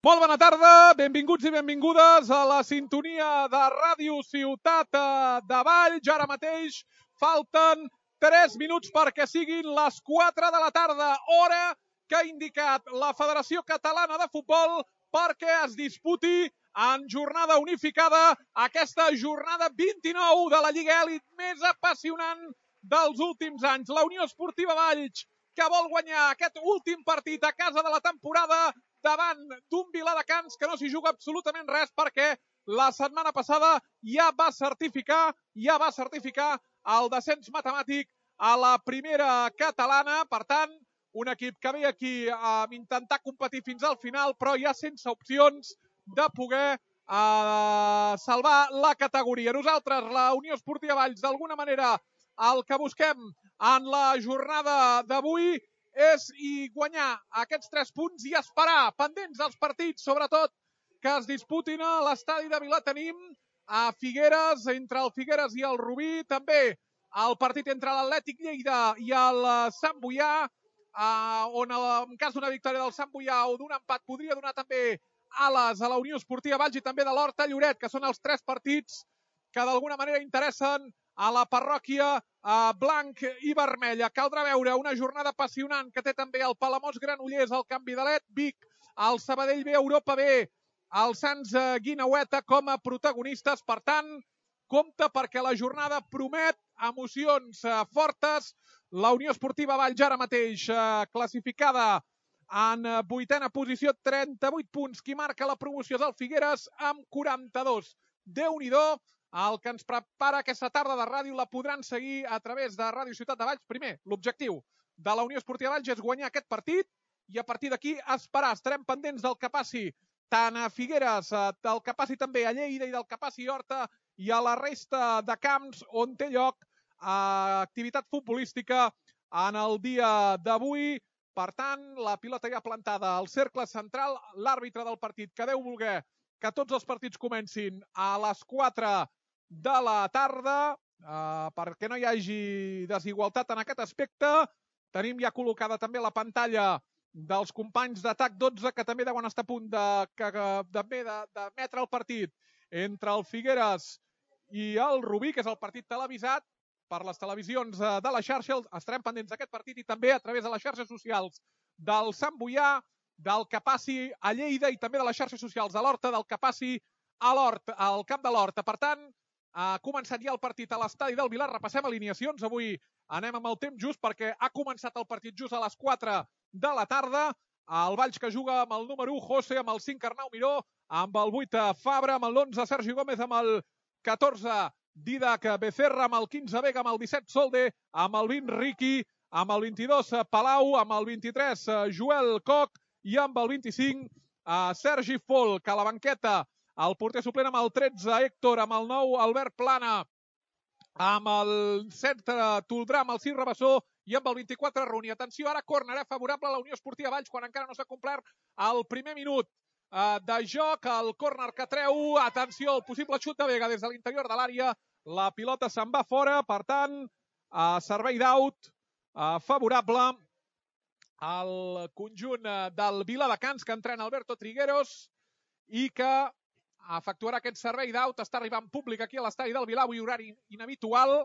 Molt bona tarda, benvinguts i benvingudes a la sintonia de Ràdio Ciutat de Valls. Ara mateix falten 3 minuts perquè siguin les 4 de la tarda, hora que ha indicat la Federació Catalana de Futbol perquè es disputi en jornada unificada aquesta jornada 29 de la Lliga Elit més apassionant dels últims anys. La Unió Esportiva Valls, que vol guanyar aquest últim partit a casa de la temporada davant d'un Viladecans que no s'hi juga absolutament res perquè la setmana passada ja va certificar el descens matemàtic a la primera catalana. Per tant, un equip que ve aquí a intentar competir fins al final, però ja sense opcions de poder salvar la categoria. Nosaltres, la Unió Esportiva Valls, d'alguna manera, el que busquem en la jornada d'avui és guanyar aquests 3 punts i esperar, pendents dels partits, sobretot, que es disputin a l'estadi de Vilatenim, a Figueres, entre el Figueres i el Rubí, també el partit entre l'Atlètic Lleida i el Sant Boià, on en cas d'una victòria del Sant Boià o d'un empat podria donar també ales a la Unió Esportiva Valls i també de l'Horta Lloret, que són els 3 partits que d'alguna manera interessen a la parròquia blanc i vermella. Caldrà veure una jornada apassionant que té també el Palamós Granollers, el Can Vidalet, Vic, el Sabadell B, Europa B, el Sants Guineueta com a protagonistes. Per tant, compte perquè la jornada promet emocions fortes. La Unió Esportiva Valls ara mateix classificada en 8a posició, 38 punts. Qui marca la promoció és el Figueres amb 42. Déu-n'hi-do. El que ens prepara aquesta tarda de ràdio la podran seguir a través de Ràdio Ciutat de Valls. Primer, l'objectiu de la Unió Esportiva Valls és guanyar aquest partit i a partir d'aquí esperar. Estarem pendents del que passi tant a Figueres, del que passi també a Lleida i del que passi a Horta i a la resta de camps on té lloc activitat futbolística en el dia d'avui. Per tant, la pilota ja plantada al cercle central, l'àrbitre del partit que deu voler que tots els partits comencin a les 4 de la tarda, perquè no hi hagi desigualtat en aquest aspecte. Tenim ja col·locada també la pantalla dels companys d'Atac 12, que també deuen estar a punt de metre el partit entre el Figueres i el Rubí, que és el partit televisat per les televisions de la xarxa. Estarem pendents d'aquest partit i també a través de les xarxes socials del Sant Boià, del que passi a Lleida i també de les xarxes socials de l'Horta, del que passi al camp de l'Horta. Per tant, ha començat ja el partit a l'estadi del Vilar. Repassem alineacions. Avui anem amb el temps just perquè ha començat el partit just a les 4 de la tarda. El Valls que juga amb el número 1, José, amb el 5, Arnau Miró, amb el 8, Fabra, amb l'11, Sergi Gómez, amb el 14, Didac Becerra, amb el 15, Vega, amb el 17, Solde, amb el 20, Riqui, amb el 22, Palau, amb el 23, Joel Coc i amb el 25, Sergi Folk. A la banqueta, el porter suplent amb el 13, Héctor, amb el 9, Albert Plana, amb el 7, Toldrà, amb el 6, Rabassó i amb el 24, Runi. Atenció, ara córner favorable a la Unió Esportiva Valls quan encara no s'ha complert el primer minut de joc. El córner que treu, atenció, el possible xut de Vega des de l'interior de l'àrea. La pilota se'n va fora, per tant, servei d'aut favorable al conjunt del Viladecans, que entrena Alberto Trigueros i que efectuarà aquest servei d'aut. Està arribant públic aquí a l'estadi del Vilar, avui horari inhabitual,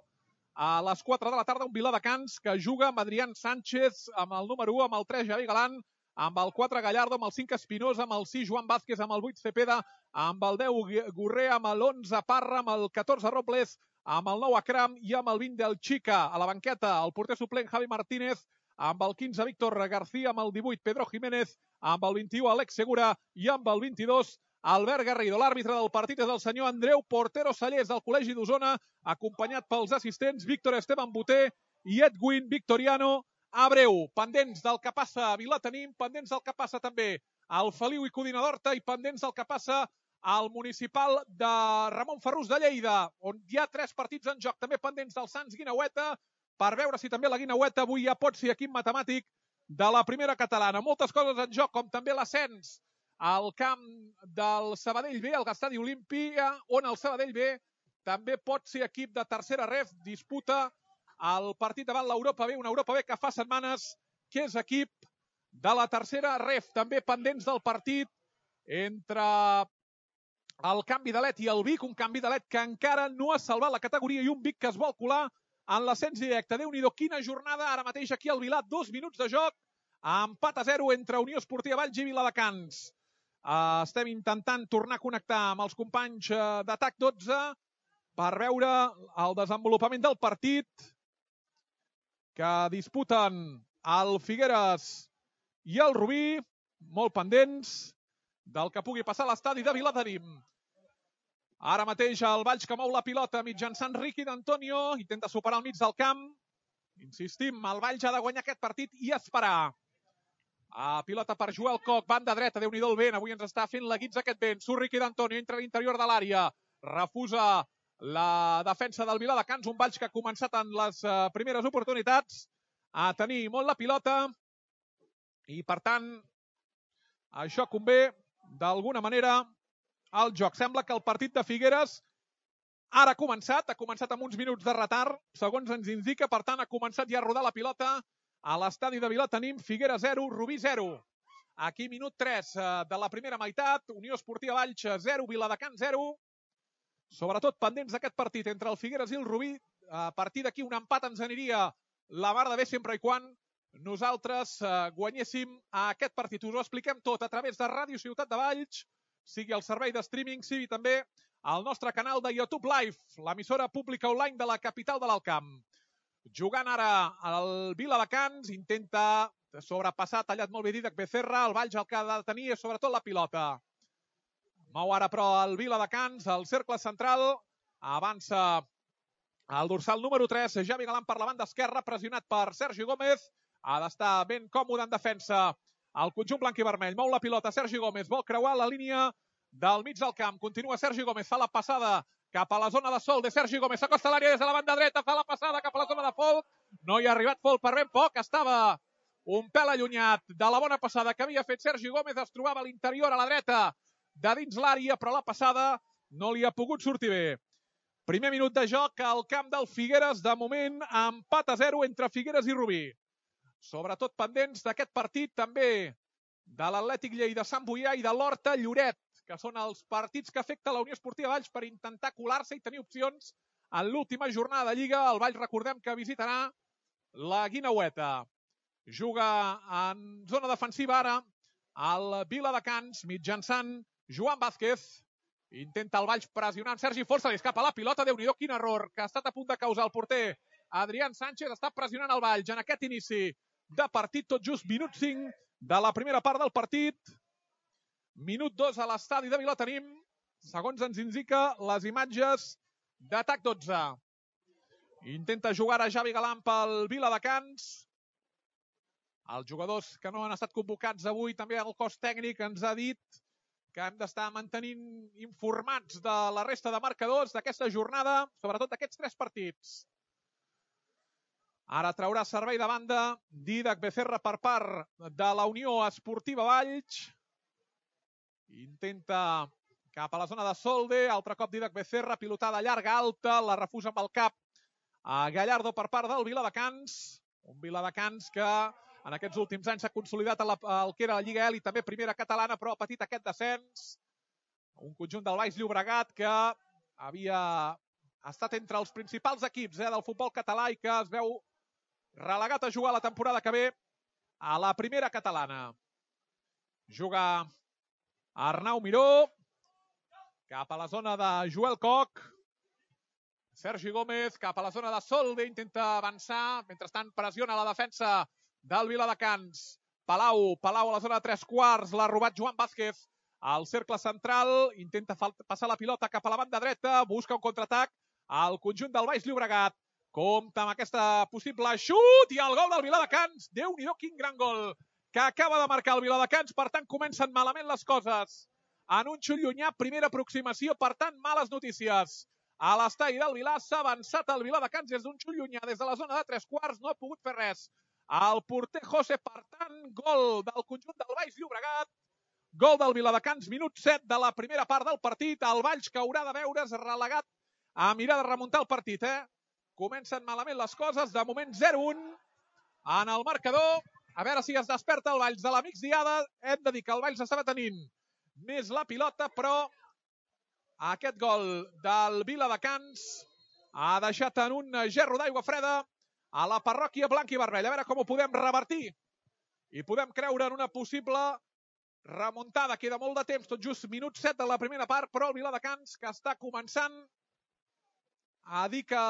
a les 4 de la tarda, un Viladecans que juga amb Adrián Sánchez, amb el número 1, amb el 3, Javi Galán, amb el 4, Gallardo, amb el 5, Espinosa, amb el 6, Joan Vázquez, amb el 8, Cepeda, amb el 10, Gurrea, amb l'11, Parra, amb el 14, Robles, amb el 9, Akram i amb el 20 del Chica. A la banqueta, el porter suplent, Javi Martínez, amb el 15, Víctor García, amb el 18, Pedro Jiménez, amb el 21, Alex Segura i amb el 22, Albert Garrido. L'àrbitre del partit és el senyor Andreu Portero Sallés, del Col·legi d'Osona, acompanyat pels assistents Víctor Esteban Boter i Edwin Victoriano Abreu. Pendents del que passa a Vilatenim, pendents del que passa també al Feliu i Codina d'Horta i pendents del que passa al municipal de Ramon Ferrús de Lleida, on hi ha 3 partits en joc, també pendents del Sants Guineueta, per veure si també la Guineueta avui ja pot ser equip matemàtic de la primera catalana. Moltes coses en joc, com també l'ascens al camp del Sabadell B, al Estadi Olímpia, on el Sabadell B també pot ser equip de tercera ref, disputa el partit davant l'Europa B, una Europa B que fa setmanes que és equip de la tercera ref. També pendents del partit entre el canvi d'Alet i el Vic, un canvi d'Alet que encara no ha salvat la categoria i un Vic que es vol colar en l'ascens directe. Déu-n'hi-do, quina jornada, ara mateix aquí al Vilar, 2 minuts de joc, empat a 0 entre Unió Esportiva Valls i Viladecans. Estem intentant tornar a connectar amb els companys d'Atac 12 per veure el desenvolupament del partit que disputen el Figueres i el Rubí, molt pendents del que pugui passar a l'estadi de Vilatenim. Ara mateix el Valls que mou la pilota mitjançant Riqui d'Antonio, intenta superar el mig del camp. Insistim, el Valls ha de guanyar aquest partit i esperar. Pilota per Joel Koch, banda dreta, Déu-n'hi-do el vent, avui ens està fent la guitza aquest vent. Surt Riqui d'Antonio, entra a l'interior de l'àrea, refusa la defensa del Viladecans, un Valls que ha començat en les primeres oportunitats a tenir molt la pilota i per tant això convé d'alguna manera al joc. Sembla que el partit de Figueres ara ha començat amb uns minuts de retard, segons ens indica, per tant ha començat ja a rodar la pilota a l'estadi de Vilatenim. Figueres 0, Rubí 0. Aquí minut 3 de la primera meitat, Unió Esportiva Valls 0, Viladecans 0. Sobretot pendents d'aquest partit entre el Figueres i el Rubí. A partir d'aquí un empat ens aniria la mar de bé sempre i quan nosaltres guanyéssim aquest partit. Us ho expliquem tot a través de Ràdio Ciutat de Valls, sigui el servei de streaming, sigui també el nostre canal de YouTube Live, l'emissora pública online de la capital de l'Alt Camp. Jugant ara el Viladecans, intenta sobrepassar, tallat molt bé Didac Becerra, el Valls el que ha de tenir és sobretot la pilota. Mou ara però el Viladecans, el cercle central, avança el dorsal número 3, Javi Galán per la banda esquerra, pressionat per Sergi Gómez, ha d'estar ben còmode en defensa el conjunt blanc i vermell. Mou la pilota Sergi Gómez, vol creuar la línia del mig del camp. Continua Sergi Gómez, fa la passada cap a la zona de sol de Sergi Gómez. S'acosta a l'àrea des de la banda dreta, fa la passada cap a la zona de Folk. No hi ha arribat Folk per ben poc, estava un pèl allunyat de la bona passada que havia fet Sergi Gómez. Es trobava a l'interior, a la dreta, de dins l'àrea, però la passada no li ha pogut sortir bé. Primer minut de joc al camp del Figueres. De moment, empat a 0 entre Figueres i Rubí. Sobretot pendents d'aquest partit també de l'Atlètic Lleida Sant Boià i de l'Horta Lloret, que són els partits que afecta la Unió Esportiva Valls per intentar colar-se i tenir opcions en l'última jornada de Lliga. El Valls, recordem que visitarà la Guineueta. Juga en zona defensiva ara el Viladecans mitjançant Joan Vázquez. Intenta el Valls pressionant Sergi Folch, se li escapa la pilota. Déu-n'hi-do, quin error que ha estat a punt de causar el porter Adrián Sánchez. Està pressionant el Valls en aquest inici de partit, tot just minut 5 de la primera part del partit. Minut 2 a l'estadi de Vilatenim, segons ens indica les imatges d'Atac 12. Intenta jugar a Javi Galán pel Viladecans. Els jugadors que no han estat convocats avui, també el cos tècnic ens ha dit que hem d'estar mantenint informats de la resta de marcadors d'aquesta jornada, sobretot d'aquests 3 partits. Ara traurà servei de banda Didac Becerra per part de la Unió Esportiva Valls. Intenta cap a la zona de Solde, altre cop Didac Becerra, pilotada llarga, alta, la refusa amb el cap a Gallardo per part del Viladecans. Un Viladecans que en aquests últims anys s'ha consolidat el que era la Lliga Elit, també primera catalana, però ha patit aquest descens. Un conjunt del Baix Llobregat que havia estat entre els principals equips del futbol català i que es veu relegat a jugar la temporada que ve a la primera catalana. Juga Arnau Miró, cap a la zona de Joel Koch. Sergi Gómez cap a la zona de Solde, intenta avançar, mentrestant pressiona la defensa del Viladecans. Palau a la zona de 3/4, l'ha robat Joan Vázquez. Al cercle central, intenta passar la pilota cap a la banda dreta, busca un contraatac al conjunt del Baix Llobregat. Compte amb aquesta possible xut i el gol del Viladecans. Déu-n'hi-do, quin gran gol que acaba de marcar el Viladecans. Per tant, comencen malament les coses. En un xut llunyà, primera aproximació, per tant, males notícies. A l'estadi del Vilar s'ha avançat el Viladecans des d'un xut llunyà, des de la zona de 3/4, no ha pogut fer res. El porter José, per tant, gol del conjunt del Baix Llobregat. Gol del Viladecans, minut 7 de la primera part del partit. El Valls que haurà de veure's relegat a mirar de remuntar el partit, Comencen malament les coses, de moment 0-1 en el marcador. A veure si es desperta el Valls de la migdiada. Hem de dir que el Valls estava tenint més la pilota, però aquest gol del Viladecans ha deixat en un gerro d'aigua freda a la parròquia blanca i vermella. A veure com ho podem revertir i podem creure en una possible remuntada. Queda molt de temps, tot just minut 7 de la primera part, però el Viladecans que està començant a dir que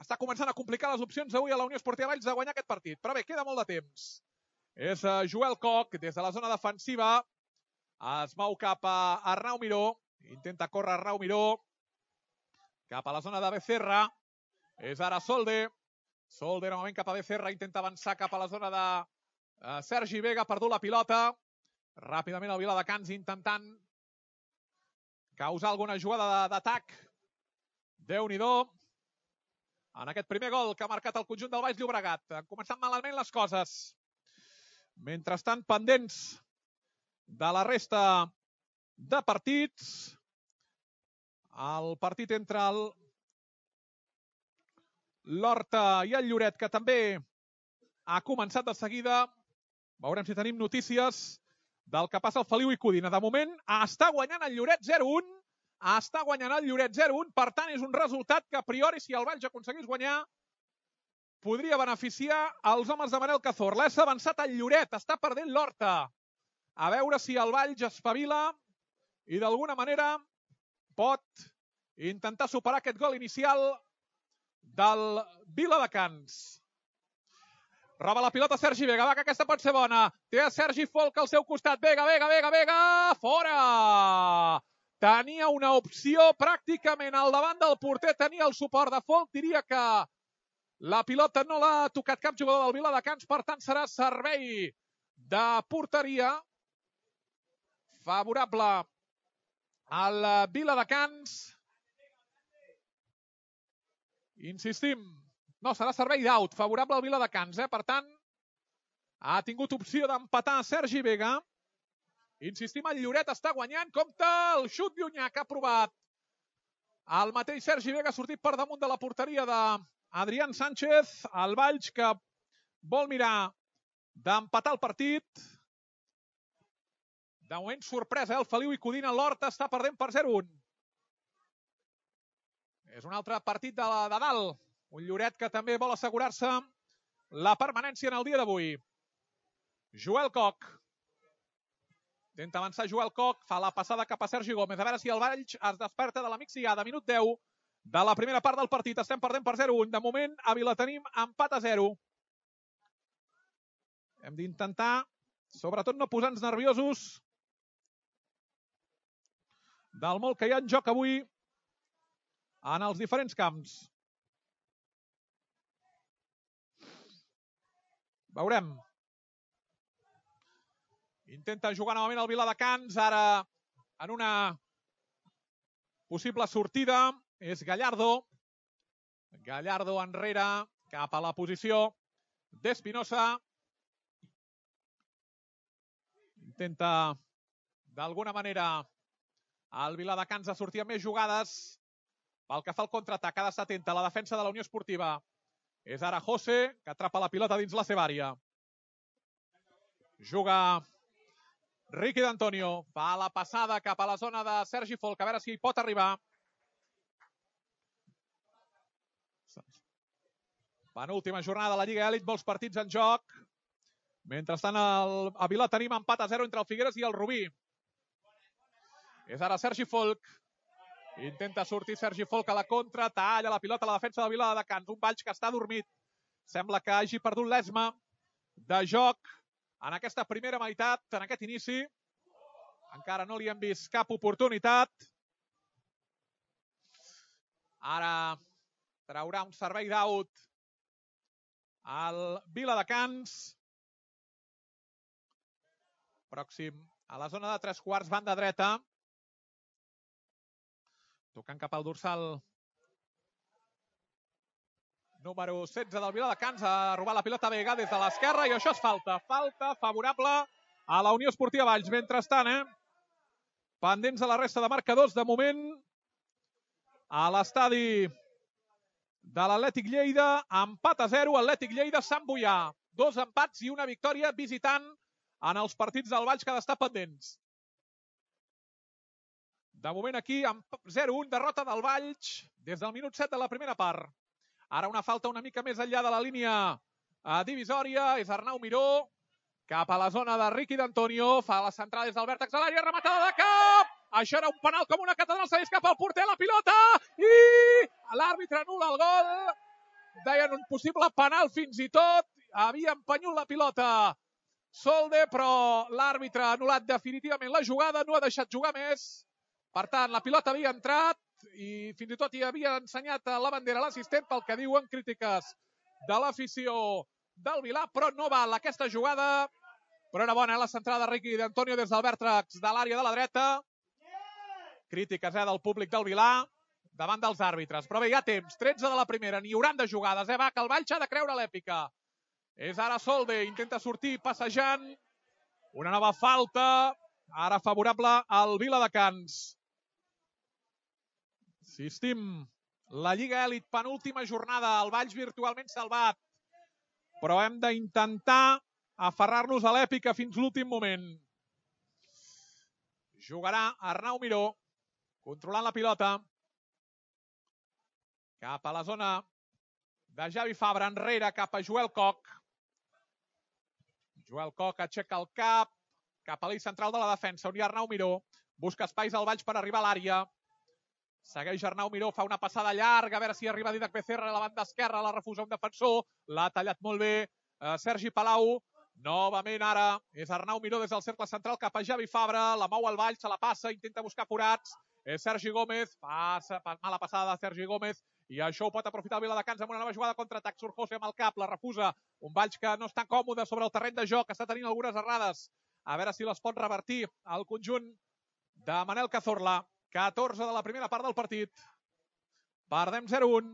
està començant a complicar les opcions avui a la Unió Esportiva Valls de guanyar aquest partit. Però bé, queda molt de temps. És Joel Koch, des de la zona defensiva, es mou cap a Arnau Miró, intenta córrer Arnau Miró, cap a la zona de Becerra, és ara Solde, Solde novament cap a Becerra, intenta avançar cap a la zona de Sergi Vega, ha perdut la pilota, ràpidament el Viladecans intentant causar alguna jugada d'atac. Déu-n'hi-do, en aquest primer gol que ha marcat el conjunt del Baix Llobregat. Han començat malament les coses. Mentrestant, pendents de la resta de partits. El partit entre l'Horta i el Lloret, que també ha començat de seguida. Veurem si tenim notícies del que passa al Feliu i Codina. De moment, està guanyant el Lloret 0-1. Està guanyant el Lloret 0-1. Per tant, és un resultat que, a priori, si el Valls aconseguís guanyar, podria beneficiar els homes de Manel Cazorla. És avançat el Lloret. Està perdent l'Horta. A veure si el Valls espavila i, d'alguna manera, pot intentar superar aquest gol inicial del Viladecans. Roba la pilota Sergi Vega, va, que aquesta pot ser bona. Té a Sergi Folk al seu costat. Vega, Vega, Vega, Vega, fora! Tenia una opció pràcticament al davant del porter, tenia el suport de Folk. Diria que la pilota no l'ha tocat cap jugador del Viladecans, per tant serà servei de porteria favorable al Viladecans. Insistim, no, serà servei d'aut, favorable al Viladecans. Per tant, ha tingut opció d'empatar Sergi Vega. Insistim, el Lloret està guanyant. Compte el xut llunyà que ha provat el mateix Sergi Vega, ha sortit per damunt de la porteria d'Adrián Sánchez. El Valls que vol mirar d'empatar el partit. De moment, sorpresa, el Feliu i Codina. L'Horta està perdent per 0-1. És un altre partit de dalt. Un Lloret que també vol assegurar-se la permanència en el dia d'avui. Joel Koch. Intenta avançar Joel Koch. Fa la passada cap a Sergi Gómez. A veure si el Valls es desperta de la migdiada. Minut 10 de la primera part del partit. Estem perdent per 0-1. De moment, a Vila tenim empat a 0. Hem d'intentar, sobretot, no posar-nos nerviosos del molt que hi ha en joc avui en els diferents camps. Veurem. Intenta jugar novament el Viladecans, ara en una possible sortida. És Gallardo. Gallardo enrere, cap a la posició d'Espinosa. Intenta, d'alguna manera, el Viladecans a sortir amb més jugades. Pel que fa al contraatac, ha d'estar atenta a la defensa de la Unió Esportiva. És ara José, que atrapa la pilota dins la seva àrea. Juga Riqui d'Antonio. Fa la passada cap a la zona de Sergi Folk. A veure si hi pot arribar. Penúltima jornada de la Lliga Elit, molts partits en joc. Mentrestant, a Vila tenim empat a 0 entre el Figueres i el Rubí. És ara Sergi Folk. Intenta sortir Sergi Folk a la contra. Talla la pilota a la defensa de Viladecans. Un Valls que està dormit. Sembla que hagi perdut l'esma de joc en aquesta primera meitat, en aquest inici. Encara no li hem vist cap oportunitat. Ara traurà un servei d'aut al Viladecans. Pròxim a la zona de 3/4, banda dreta. Tocant cap al dorsal número 16 del Viladecans. Ha robat la pilota Vega des de l'esquerra i això és falta. Falta favorable a la Unió Esportiva Valls. Mentrestant, pendents de la resta de marcadors, de moment, a l'estadi de l'Atlètic Lleida, empat a 0, Atlètic Lleida, Sant Boià. 2 empats i una victòria visitant en els partits del Valls que ha d'estar pendents. De moment aquí, amb 0-1, derrota del Valls des del minut 7 de la primera part. Ara una falta una mica més enllà de la línia divisòria. És Arnau Miró, cap a la zona de Riqui d'Antonio. Fa la centrada des del vèrtex de l'àrea, rematada de cap. Això era un penal com una catedral, segueix cap al porter, la pilota, i l'àrbitre anul·la el gol. Deien un possible penal fins i tot. Havia empenyut la pilota Solde, però l'àrbitre ha anul·lat definitivament la jugada, no ha deixat jugar més. Per tant, la pilota havia entrat i fins i tot hi havia ensenyat la bandera a l'assistent pel que diuen crítiques de l'afició del Vilà, però no val aquesta jugada. Però era bona la centrada de Riqui d'Antonio des del vèrtex de l'àrea de la dreta. Crítiques del públic del Vilà davant dels àrbitres. Però bé, hi ha temps, 13 de la primera, n'hi hauran de jugades. Va, que el Valls ha de creure l'èpica. És ara Solde, intenta sortir passejant. Una nova falta, ara favorable al Viladecans. Insistim, la Lliga Elit, penúltima jornada, el Valls virtualment salvat. Però hem d'intentar aferrar-nos a l'èpica fins l'últim moment. Jugarà Arnau Miró, controlant la pilota. Cap a la zona de Javi Fabra, enrere, cap a Joel Koch. Joel Koch aixeca el cap, cap a l'eix central de la defensa, on hi ha Arnau Miró. Busca espais al Valls per arribar a l'àrea. Segueix Arnau Miró, fa una passada llarga, a veure si arriba Didac Becerra a la banda esquerra, la refusa un defensor, l'ha tallat molt bé Sergi Palau. Novament ara és Arnau Miró des del cercle central cap a Javi Fabra, la mou al Valls, se la passa, intenta buscar forats. Sergi Gómez, mala passada de Sergi Gómez, i això ho pot aprofitar el Viladecans amb una nova jugada contra-atac. Surt José amb el cap, la refusa. Un Valls que no està còmode sobre el terreny de joc, està tenint algunes errades. A veure si les pot revertir el conjunt de Manel Cazorla. 14 de la primera part del partit. Perdem 0-1.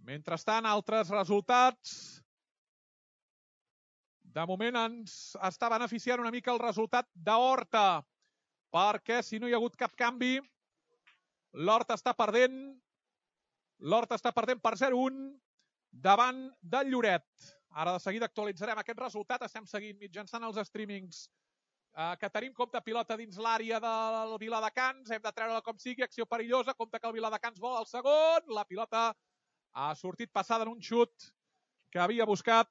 Mentrestant, altres resultats. De moment ens està beneficiant una mica el resultat d'Horta, perquè si no hi ha hagut cap canvi, l'Horta està perdent. L'Horta està perdent per 0-1 davant del Lloret. Ara de seguida actualitzarem aquest resultat. Estem seguint mitjançant els streamings que tenim. Compte pilota dins l'àrea del Viladecans. Hem de treure-la com sigui. Acció perillosa. Compte que el Viladecans vol el segon. La pilota ha sortit passada en un xut que havia buscat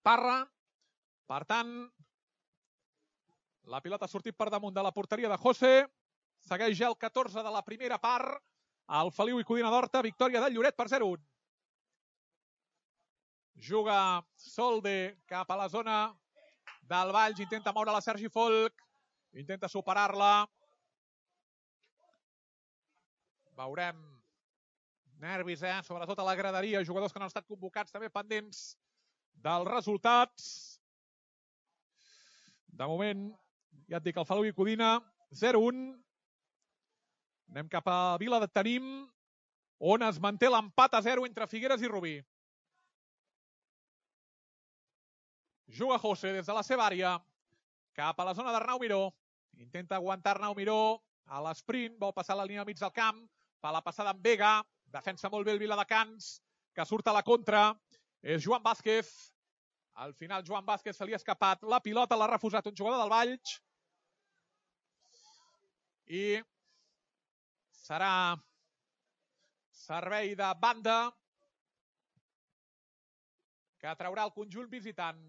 Parra. Per tant, la pilota ha sortit per damunt de la porteria de José. Segueix ja el 14 de la primera part. El Feliu i Codina d'Horta. Victòria del Lloret per 0-1. Juga Solde cap a la zona del Valls. Intenta moure la Sergi Folk. Intenta superar-la. Veurem nervis, sobretot a la graderia. Jugadors que no han estat convocats, també pendents dels resultats. De moment, ja et dic, el Feliu i Codina 0-1. Anem cap a Vila de Tenim, on es manté l'empat a 0 entre Figueres i Rubí. Juga José des de la seva àrea, cap a la zona d'Arnau Miró. Intenta aguantar Arnau Miró a l'esprint, vol passar la línia al mig del camp, fa la passada amb Vega, defensa molt bé el Viladecans, que surt a la contra. És Joan Vázquez. Al final Joan Vázquez se li ha escapat la pilota, l'ha refusat un jugador del Valls. I serà servei de banda que traurà el conjunt visitant.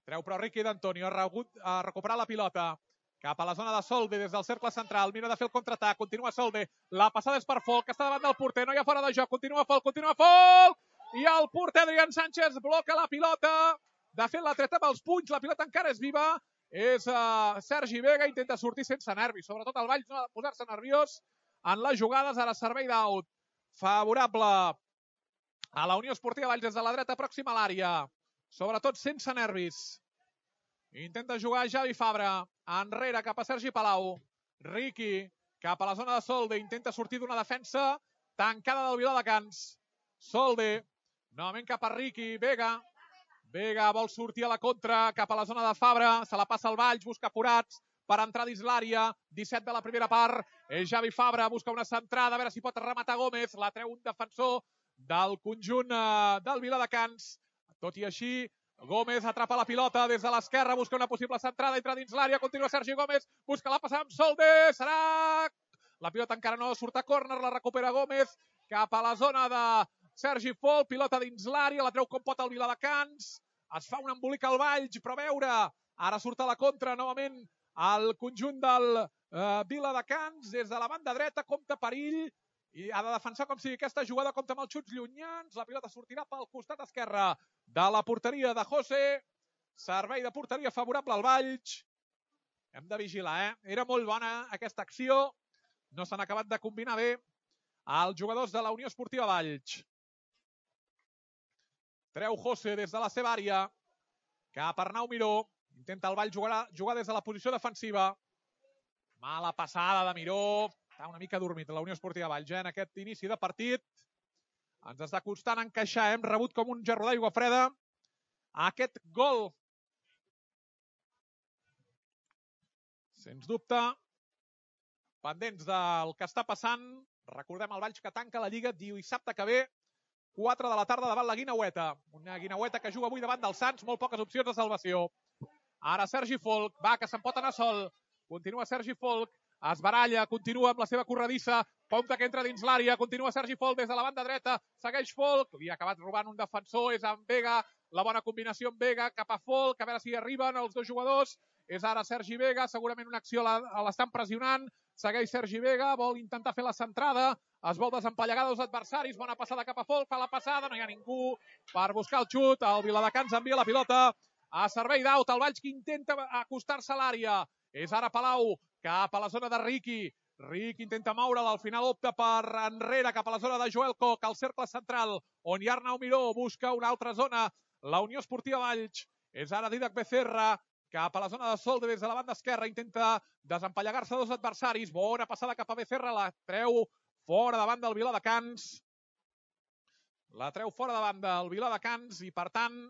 Treu però Riqui d'Antonio, ha recuperat la pilota cap a la zona de Solde des del cercle central. Mira de fer el contraatac, continua Solde. La passada és per Folk, que està davant del porter, no hi ha fora de joc. Continua Folk, i el porter Adrián Sánchez bloca la pilota. De fet, l'ha tret amb els punys, la pilota encara és viva. És Sergi Vega, intenta sortir sense nervis. Sobretot el Valls no ha de posar-se nerviós en les jugades. Ara servei d'out favorable a la Unió Esportiva Valls des de la dreta pròxima a l'àrea. Sobretot sense nervis. Intenta jugar Javi Fabra. Enrere cap a Sergi Palau. Riqui cap a la zona de Solde. Intenta sortir d'una defensa tancada del Viladecans. Solde. Novament cap a Riqui. Vega. Vega vol sortir a la contra cap a la zona de Fabra. Se la passa al Valls. Busca forats per entrar dins l'àrea. 17 de la primera part. És Javi Fabra. Busca una centrada. A veure si pot rematar Gómez. La treu un defensor del conjunt del Viladecans. Tot i així, Gómez atrapa la pilota des de l'esquerra, busca una possible centrada, entra dins l'àrea, continua Sergi Gómez, busca la passada amb Solde, serà... La pilota encara no surt a córner, la recupera Gómez, cap a la zona de Sergi Folk, pilota dins l'àrea, la treu com pot el Viladecans, es fa un embolic al Valls, però a veure, ara surt a la contra novament el conjunt del Viladecans, des de la banda dreta, compta perill, i ha de defensar com sigui aquesta jugada, compta amb els xuts llunyans, la pilota sortirà pel costat esquerre de la porteria de José, servei de porteria favorable al Valls, hem de vigilar, era molt bona aquesta acció, no s'han acabat de combinar bé els jugadors de la Unió Esportiva Valls. Treu José des de la seva àrea, cap a Arnau Miró, intenta el Valls jugar des de la posició defensiva, mala passada de Miró, està una mica dormit la Unió Esportiva Valls en aquest inici de partit, ens està costant encaixar, hem rebut com un gerro d'aigua freda aquest gol. Sens dubte, pendents del que està passant, recordem el Valls que tanca la Lliga dissabte que ve, 4 de la tarda davant la Guineueta. Una Guineueta que juga avui davant del Sants, molt poques opcions de salvació. Ara Sergi Folk, va, que se'n pot anar sol. Continua Sergi Folk, es baralla, continua amb la seva corredissa, compta que entra dins l'àrea, continua Sergi Folk des de la banda dreta, segueix Folk, li ha acabat robant un defensor, és amb Vega, la bona combinació amb Vega, cap a Folk, a veure si arriben els dos jugadors, és ara Sergi Vega, segurament una acció l'estan pressionant, segueix Sergi Vega, vol intentar fer la centrada, es vol desempallegar dos adversaris, bona passada cap a Folk, fa la passada, no hi ha ningú per buscar el xut, el Viladecans envia la pilota a servei d'Aut, el Valls que intenta acostar-se a l'àrea, és ara Palau, cap a la zona de Riqui, Riqui intenta moure'l, al final opta per enrere, cap a la zona de Joel Coc, al cercle central, on hi ha Arnau Miró, busca una altra zona, la Unió Esportiva Valls, és ara Didac Becerra, cap a la zona de Solde des de la banda esquerra, intenta desempallegar-se dos adversaris, bona passada cap a Becerra, la treu fora davant del Viladecans, la treu fora davant del Viladecans i per tant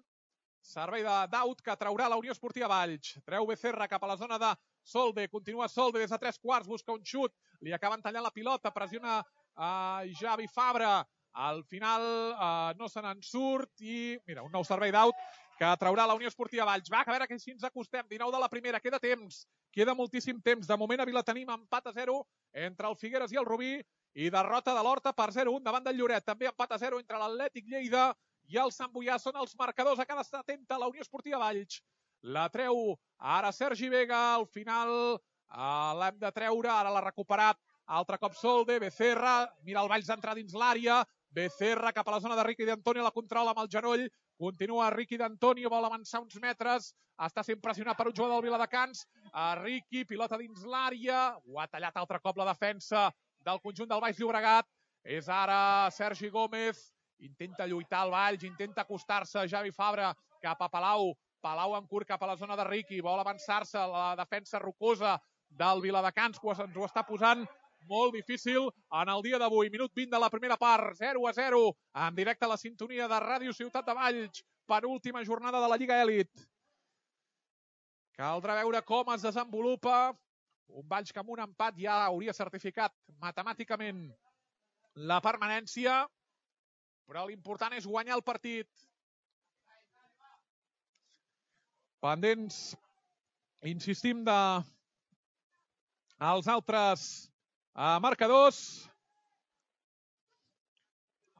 servei d'Aut que traurà la Unió Esportiva Valls, treu Becerra cap a la zona de Solde, continua Solde des de 3/4, busca un xut, li acaben tallant la pilota, pressiona Javi Fabra, al final no se n'en surt i mira, un nou servei d'Aut que traurà la Unió Esportiva Valls. Va, a veure que si ens acostem, 19 de la primera, queda temps, queda moltíssim temps. De moment a Vila tenim empat a 0 entre el Figueres i el Rubí i derrota de l'Horta per 0-1 davant del Lloret. També empat a 0 entre l'Atlètic Lleida i el Sant Boià. Són els marcadors a cada estar atenta la Unió Esportiva Valls. La treu ara Sergi Vega, al final l'hem de treure, ara l'ha recuperat altre cop Solde, Becerra, mira el Valls d'entrar dins l'àrea, Becerra cap a la zona de Riqui d'Antonio, la controla amb el genoll, continua Riqui d'Antonio, vol avançar uns metres, està sent pressionat per un jugador del Viladecans, Riqui, pilota dins l'àrea, ho ha tallat altre cop la defensa del conjunt del Baix Llobregat, és ara Sergi Gómez, intenta lluitar el Valls, intenta acostar-se Javi Fabra cap a Palau, Palau en curt cap a la zona de Riqui, vol avançar-se la defensa rocosa del Viladecans, que ens ho està posant molt difícil en el dia d'avui. Minut 20 de la primera part, 0-0, en directe a la sintonia de Ràdio Ciutat de Valls, penúltima jornada de la Lliga Elit. Caldrà veure com es desenvolupa un Valls que amb un empat ja hauria certificat matemàticament la permanència, però l'important és guanyar el partit. Pendents, insistim, dels altres marcadors.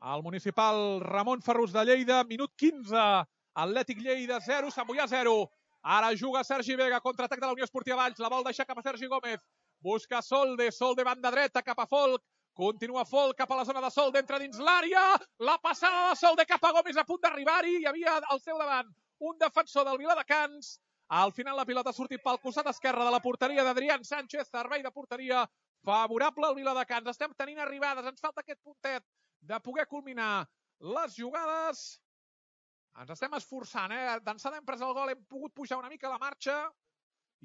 El municipal Ramon Ferrús de Lleida, minut 15, Atlètic Lleida 0, Sant Boià 0. Ara juga Sergi Vega, contraatac de la Unió Esportiva Valls, la vol deixar cap a Sergi Gómez, busca Solde, Solde banda dreta cap a Folk, continua Folk cap a la zona de Solde, entra dins l'àrea, la passada de Solde cap a Gómez a punt d'arribar-hi, hi havia al seu davant un defensor del Viladecans, al final la pilota ha sortit pel costat esquerre de la porteria d'Adrián Sánchez, servei de porteria favorable al Viladecans, estem tenint arribades, ens falta aquest puntet de poder culminar les jugades. Ens estem esforçant, d'ençada hem pres el gol, hem pogut pujar una mica la marxa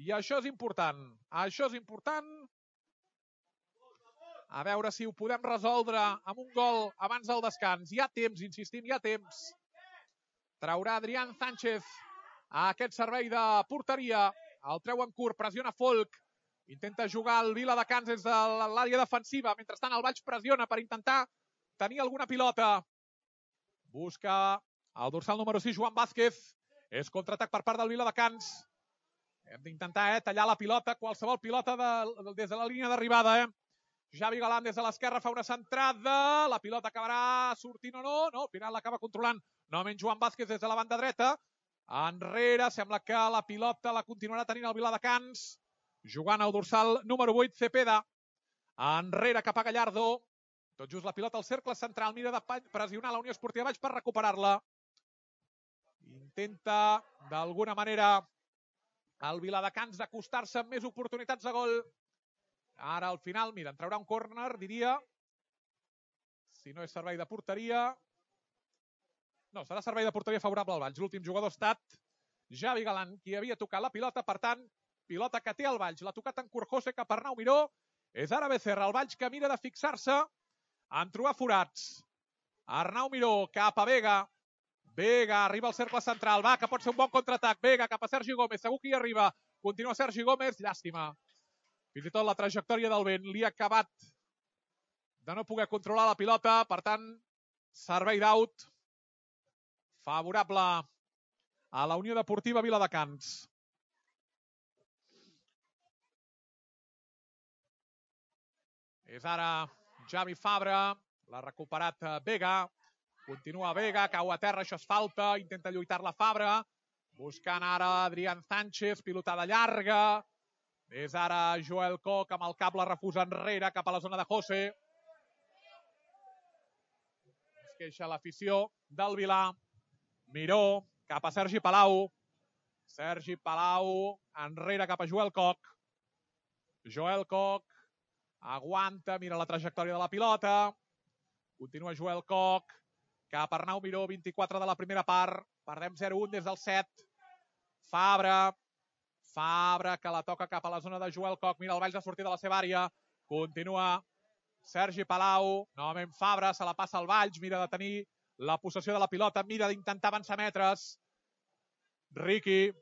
i això és important. Això és important. A veure si ho podem resoldre amb un gol abans del descans. Hi ha temps, insistim, hi ha temps. Traurà Adrián Sánchez a aquest servei de porteria. El treu en curt, pressiona Folk. Intenta jugar el Viladecans des de l'àrea defensiva. Mentrestant el Valls pressiona per intentar tenir alguna pilota. Busca el dorsal número 6, Joan Vázquez. És contraatac per part del Viladecans. Hem d'intentar tallar la pilota, qualsevol pilota des de la línia d'arribada. Javi Galán des de l'esquerra fa una centrada. La pilota acabarà sortint o no? No, al final l'acaba controlant novament Joan Vázquez des de la banda dreta. Enrere, sembla que la pilota la continuarà tenint el Viladecans. Jugant al dorsal número 8, Cepeda. Enrere cap a Gallardo. Tot just la pilota al cercle central. Mira de pressionar la Unió Esportiva Valls per recuperar-la. Intenta, d'alguna manera, el Viladecans d'acostar-se amb més oportunitats de gol. Ara, al final, mira, en traurà un córner, diria. Si no és servei de porteria. No, serà servei de porteria favorable al Valls. L'últim jugador ha estat Javi Galán, qui havia tocat la pilota. Per tant, pilota que té el Valls. L'ha tocat en Curjose cap a Arnau Miró. És ara Becerra, el Valls que mira de fixar-se en trobar forats. Arnau Miró cap a Vega. Vega arriba al cercle central. Va, que pot ser un bon contraatac. Vega cap a Sergi Gómez. Segur que hi arriba. Continua Sergi Gómez. Llàstima. Fins i tot la trajectòria del vent li ha acabat de no poder controlar la pilota. Per tant, servei d'aut favorable a la Unió Deportiva Viladecans. És ara Javi Fabra. L'ha recuperat Vega. Continua Vega, cau a terra, això és falta. Intenta lluitar-la Fabra. Buscant ara Adrián Sánchez, pilotada llarga. És ara Joel Koch amb el cap, la refusa enrere cap a la zona de José. Es queixa l'afició del Vilà. Miró cap a Sergi Palau. Sergi Palau enrere cap a Joel Koch. Joel Koch aguanta, mira la trajectòria de la pilota. Continua Joel Koch cap a Arnau Miró, 24 de la primera part. Perdem 0-1 des del 7. Fabra que la toca cap a la zona de Joel Koch. Mira el Valls a sortir de la seva àrea. Continua Sergi Palau. Novament Fabra, se la passa al Valls. Mira de tenir la possessió de la pilota. Mira d'intentar avançar metres. Riqui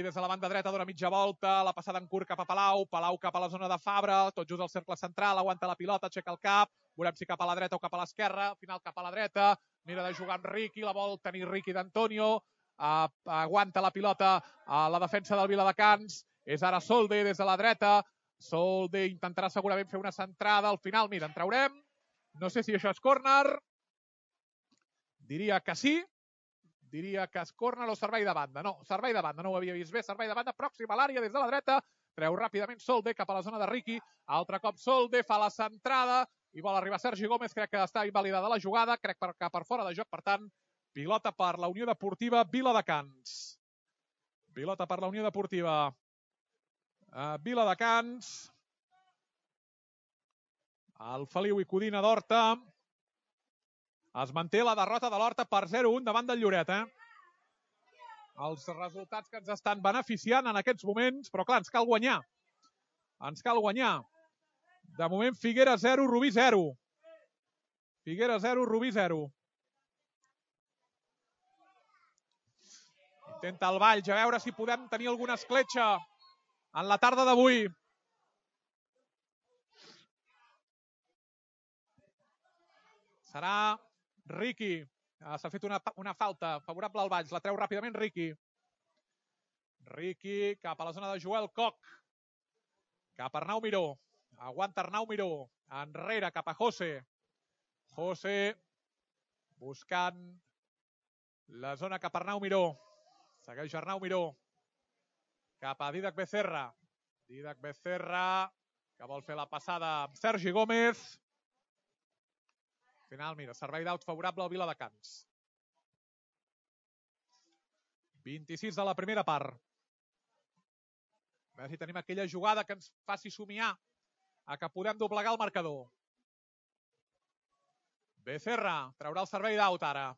des de la banda dreta dona mitja volta. La passada en curt cap a Palau. Palau cap a la zona de Fabra. Tot just al cercle central. Aguanta la pilota, aixeca el cap. Veurem si cap a la dreta o cap a l'esquerra. Final cap a la dreta. Mira de jugar amb Riqui. La vol tenir Riqui d'Antonio. Aguanta la pilota a la defensa del Viladecans. És ara Solde des de la dreta. Solde intentarà segurament fer una centrada. Al final, mira, en traurem. No sé si això és córner. Diria que sí. Diria que és córner o servei de banda. No, servei de banda, no ho havia vist bé. Servei de banda, pròxim a l'àrea des de la dreta. Treu ràpidament Solde cap a la zona de Riqui. Altre cop Solde fa la centrada i vol arribar Sergi Gómez. Crec que està invalidada la jugada. Crec que per fora de joc, per tant, pilota per la Unió Deportiva Viladecans. Pilota per la Unió Deportiva Viladecans. El Feliu i Codina d'Horta. Es manté la derrota de l'Horta per 0-1 davant del Lloret. Els resultats que ens estan beneficiant en aquests moments, però clar, ens cal guanyar. Ens cal guanyar. De moment, Figueres 0, Rubí 0. Figueres 0, Rubí 0. Intenta el Valls, a veure si podem tenir alguna escletxa en la tarda d'avui. Serà Riqui. S'ha fet una falta favorable al Valls. La treu ràpidament Riqui. Riqui cap a la zona de Joel Koch. Cap a Arnau Miró. Aguanta Arnau Miró. Enrere cap a José. José buscant la zona cap a Arnau Miró. Segueix Arnau Miró. Cap a Dídac Becerra. Dídac Becerra que vol fer la passada amb Sergi Gómez. Al final, mira, servei d'aut favorable al Viladecans. 26 de la primera part. A veure si tenim aquella jugada que ens faci somiar a que podem doblegar el marcador. Becerra traurà el servei d'aut ara.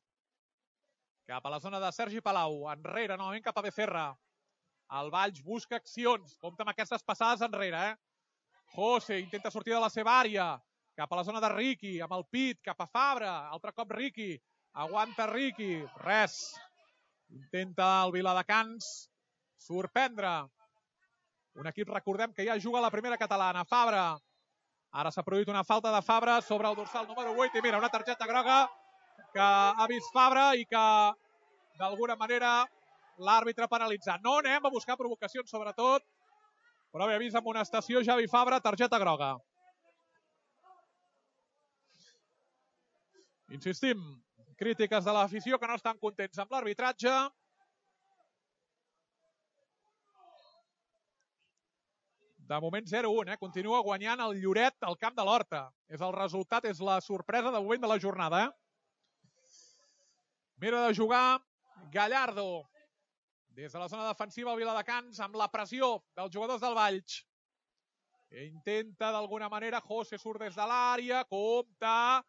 Cap a la zona de Sergi Palau. Enrere, novament cap a Becerra. El Valls busca accions. Compte amb aquestes passades enrere. José intenta sortir de la seva àrea. Cap a la zona de Riqui, amb el pit, cap a Fabra. Altre cop Riqui. Aguanta Riqui. Res. Intenta el Viladecans sorprendre. Un equip, recordem, que ja juga a la primera catalana. Fabra. Ara s'ha produït una falta de Fabra sobre el dorsal número 8. I mira, una targeta groga que ha vist Fabra i que, d'alguna manera, l'àrbitre penalitzant. No anem a buscar provocacions, sobretot, però haver vist amonestació Javi Fabra, targeta groga. Insistim, crítiques de l'afició que no estan contents amb l'arbitratge. De moment 0-1, continua guanyant el Lloret al camp de l'Horta. És el resultat, és la sorpresa de moment de la jornada. Mira de jugar Gallardo. Des de la zona defensiva el Viladecans amb la pressió dels jugadors del Valls. Intenta d'alguna manera, José surt des de l'àrea, compta,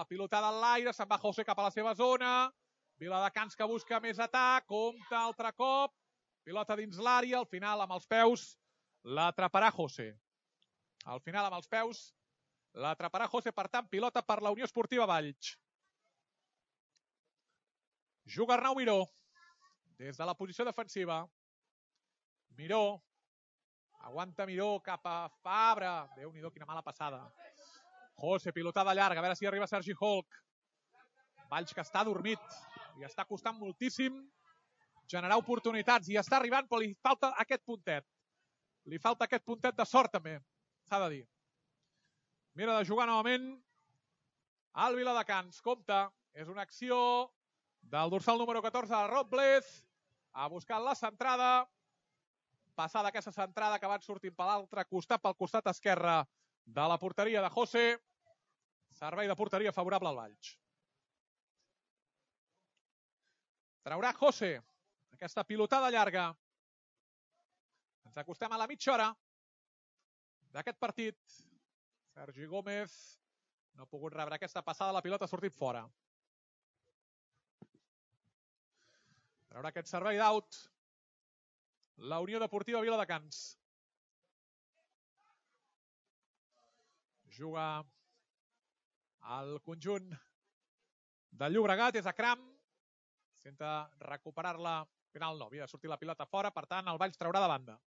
pilotada en l'aire, se'n va José cap a la seva zona. Viladecans que busca més atac, compta altre cop, pilota dins l'àrea, al final amb els peus l'atraparà José. Al final amb els peus l'atraparà José, per tant pilota per la Unió Esportiva Valls. Juga Arnau Miró. Des de la posició defensiva. Miró. Aguanta Miró cap a Fabra. Déu-n'hi-do, quina mala passada. José, pilotada llarga. A veure si arriba Sergi Holk. Valls que està adormit. Li està costant moltíssim generar oportunitats. I està arribant, però li falta aquest puntet. Li falta aquest puntet de sort, també. S'ha de dir. Mira de jugar novament al Viladecans. Compte. És una acció del dorsal número 14 de Robles. Ha buscat la centrada, passada aquesta centrada que van sortint per l'altre costat, pel costat esquerre de la porteria de José. Servei de porteria favorable al Valls. Traurà José aquesta pilotada llarga. Ens acostem a la mitja hora d'aquest partit. Sergi Gómez no ha pogut rebre aquesta passada, la pilota ha sortit fora. Traurà aquest servei d'aut la Unió Deportiva Viladecans. Juga el conjunt del Llobregat, és a Cram. Senta recuperar-la. Al final no, havia de sortir la pilota fora, per tant el Valls traurà de banda.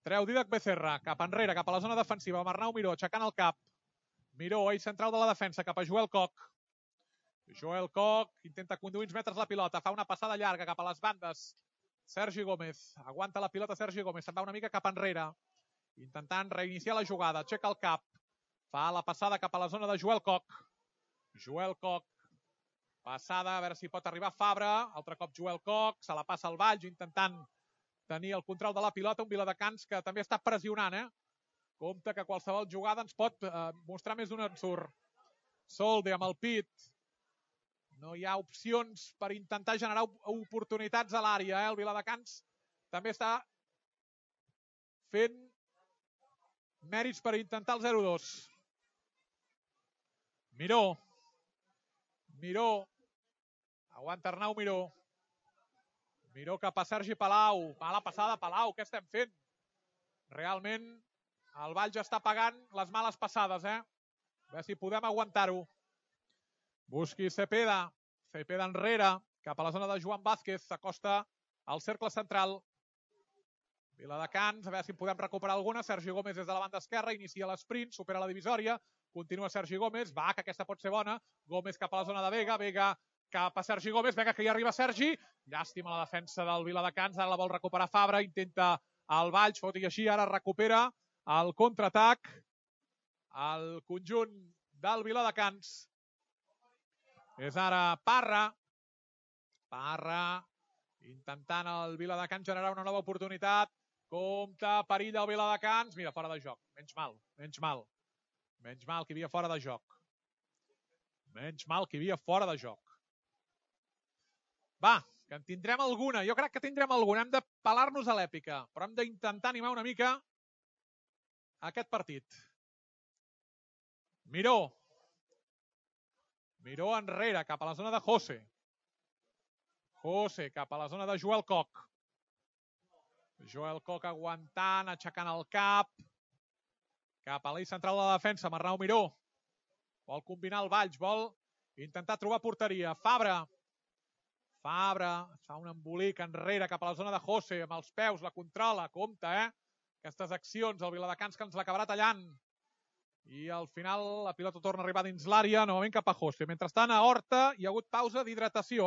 Treu Dídac Becerra, cap enrere, cap a la zona defensiva, amb Arnau Miró aixecant el cap. Miró, eix central de la defensa, cap a Joel Koch. Joel Koch intenta conduir uns metres la pilota, fa una passada llarga cap a les bandes. Sergi Gómez, aguanta la pilota Sergi Gómez, se'n va una mica cap enrere, intentant reiniciar la jugada, aixeca el cap, fa la passada cap a la zona de Joel Koch. Joel Koch, passada, a veure si pot arribar Fabra, altre cop Joel Koch, se la passa al Valls, intentant tenir el control de la pilota, un Viladecans que també està pressionant, Compte que qualsevol jugada ens pot mostrar més d'un ensurt. Solde amb el pit. No hi ha opcions per intentar generar oportunitats a l'àrea. El Viladecans també està fent mèrits per intentar el 0-2. Miró. Miró. Aguanta Arnau Miró. Miró cap a Sergi Palau. Mala passada, Palau. Què estem fent? Realment el Valls està pagant les males passades, A veure si podem aguantar-ho. Busqui Cepeda. Cepeda enrere, cap a la zona de Joan Vázquez. S'acosta al cercle central. Viladecans, a veure si podem recuperar alguna. Sergi Gómez des de la banda esquerra, inicia l'esprint, supera la divisòria. Continua Sergi Gómez, va, que aquesta pot ser bona. Gómez cap a la zona de Vega, Vega cap a Sergi Gómez, Vega que hi arriba Sergi. Llàstima la defensa del Viladecans, ara la vol recuperar Fabra, intenta el Valls, tot i així ara recupera el contraatac el conjunt del Viladecans. És ara Parra. Parra intentant el Viladecans generar una nova oportunitat. Compte, perill del Viladecans. Mira, fora de joc. Menys mal, menys mal. Menys mal que hi havia fora de joc. Menys mal que hi havia fora de joc. Va, que en tindrem alguna. Jo crec que tindrem alguna. Hem de pelar-nos a l'èpica, però hem d'intentar animar una mica aquest partit. Miró. Miró enrere, cap a la zona de José. José cap a la zona de Joel Koch. Joel Koch aguantant, aixecant el cap. Cap a l'eix central de la defensa, amb Arnau Miró. Vol combinar el Valls, vol intentar trobar porteria. Fabra. Fabra fa un embolic enrere cap a la zona de José, amb els peus, la controla, compte, Aquestes accions, el Viladecans que ens l'acabarà tallant. I al final la pilota torna a arribar dins l'àrea, novament cap a José. Mentrestant, a Horta hi ha hagut pausa d'hidratació,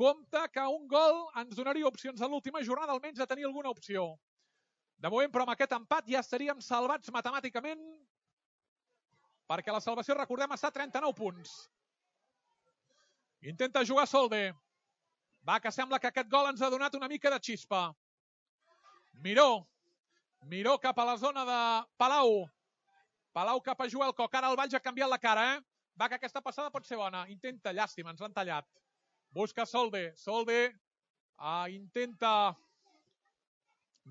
Compte que un gol ens donaria opcions a l'última jornada almenys de tenir alguna opció. De moment, però, amb aquest empat ja estaríem salvats matemàticament perquè la salvació, recordem, està a 39 punts. Intenta jugar Solde. Va, que sembla que aquest gol ens ha donat una mica de xispa. Miró cap a la zona de Palau. Palau cap a Joel Coc. Ara el Valls ha canviat la cara, Va, que aquesta passada pot ser bona. Intenta, llàstima, ens l'han tallat. Busca Solde. Solde intenta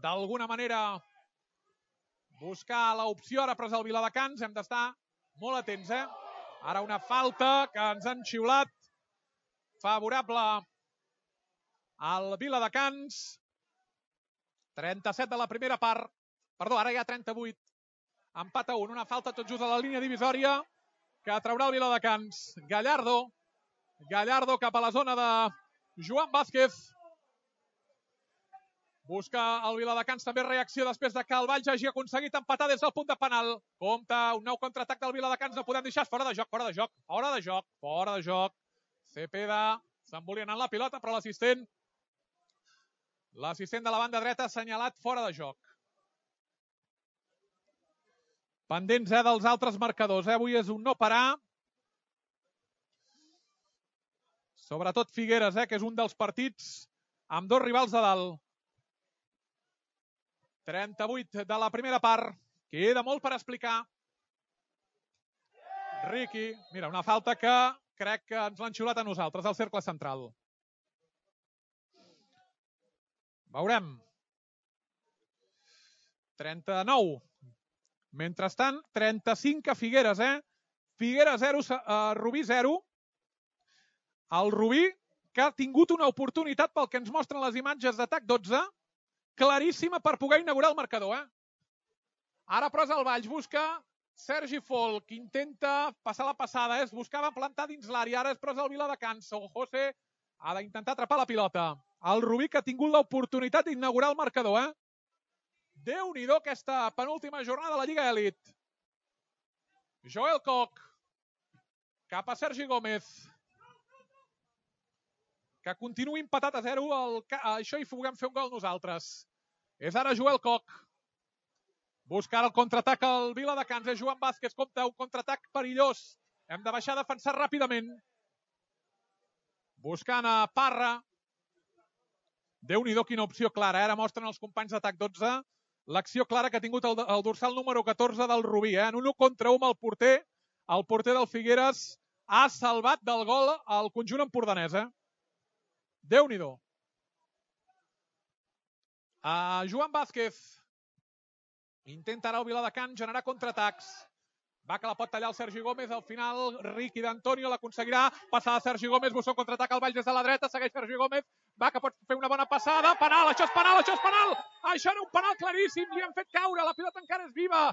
d'alguna manera buscar l'opció. Ara ha pres el Viladecans. Hem d'estar molt atents, Ara una falta que ens han xiulat favorable al Viladecans. 37 de la primera part. Perdó, ara ja 38. Empat a 1. Una falta tot just a la línia divisòria que traurà el Viladecans. Gallardo cap a la zona de Joan Vázquez. Busca el Viladecans també reacció després de que el Valls hagi aconseguit empatar des del punt de penal. Compte, un nou contraatac del Viladecans. No podem deixar. Fora de joc. Cepeda s'embolia anant la pilota, però l'assistent de la banda dreta ha assenyalat fora de joc. Pendents, dels altres marcadors. Avui és un no parar. Sobretot Figueres, que és un dels partits amb dos rivals de dalt. 38 de la primera part. Queda molt per explicar. Riqui. Mira, una falta que crec que ens l'han xiulat a nosaltres, al cercle central. Veurem. 39. Mentrestant, 35 a Figueres, Figueres 0, Rubí 0. El Rubí, que ha tingut una oportunitat pel que ens mostren les imatges d'atac 12, claríssima per poder inaugurar el marcador, Ara, però, és el Valls. Busca Sergi Folk, intenta passar la passada, buscava plantar dins l'àrea, ara és però el Viladecans. José ha d'intentar atrapar la pilota. El Rubí, que ha tingut l'oportunitat d'inaugurar el marcador, Déu-n'hi-do aquesta penúltima jornada de la Lliga Elit. Joel Coc cap a Sergi Gómez, que continua empatat a 0. Això hi puguem fer un gol nosaltres. És ara Joel Coc. Busca el contraatac al Viladecans. És Joan Vázquez. Compte, un contraatac perillós. Hem de baixar a defensar ràpidament. Buscant a Parra. Déu-n'hi-do quina opció clara. Ara mostren els companys d'atac 12 l'acció clara que ha tingut el dorsal número 14 del Rubí. En un 1 contra 1 amb el porter. El porter del Figueres ha salvat del gol al conjunt empordanès. Déu-n'hi-do. Joan Vázquez intenta ara el Viladecans generar contraatacs. Va, que la pot tallar el Sergi Gómez. Al final, Riqui d'Antonio l'aconseguirà. Passada Sergi Gómez, busca un contraatac al Valls des de la dreta. Segueix Sergi Gómez. Va, que pot fer una bona passada. Penal, això és penal, això és penal. Això era un penal claríssim. Li han fet caure. La pilota encara és viva.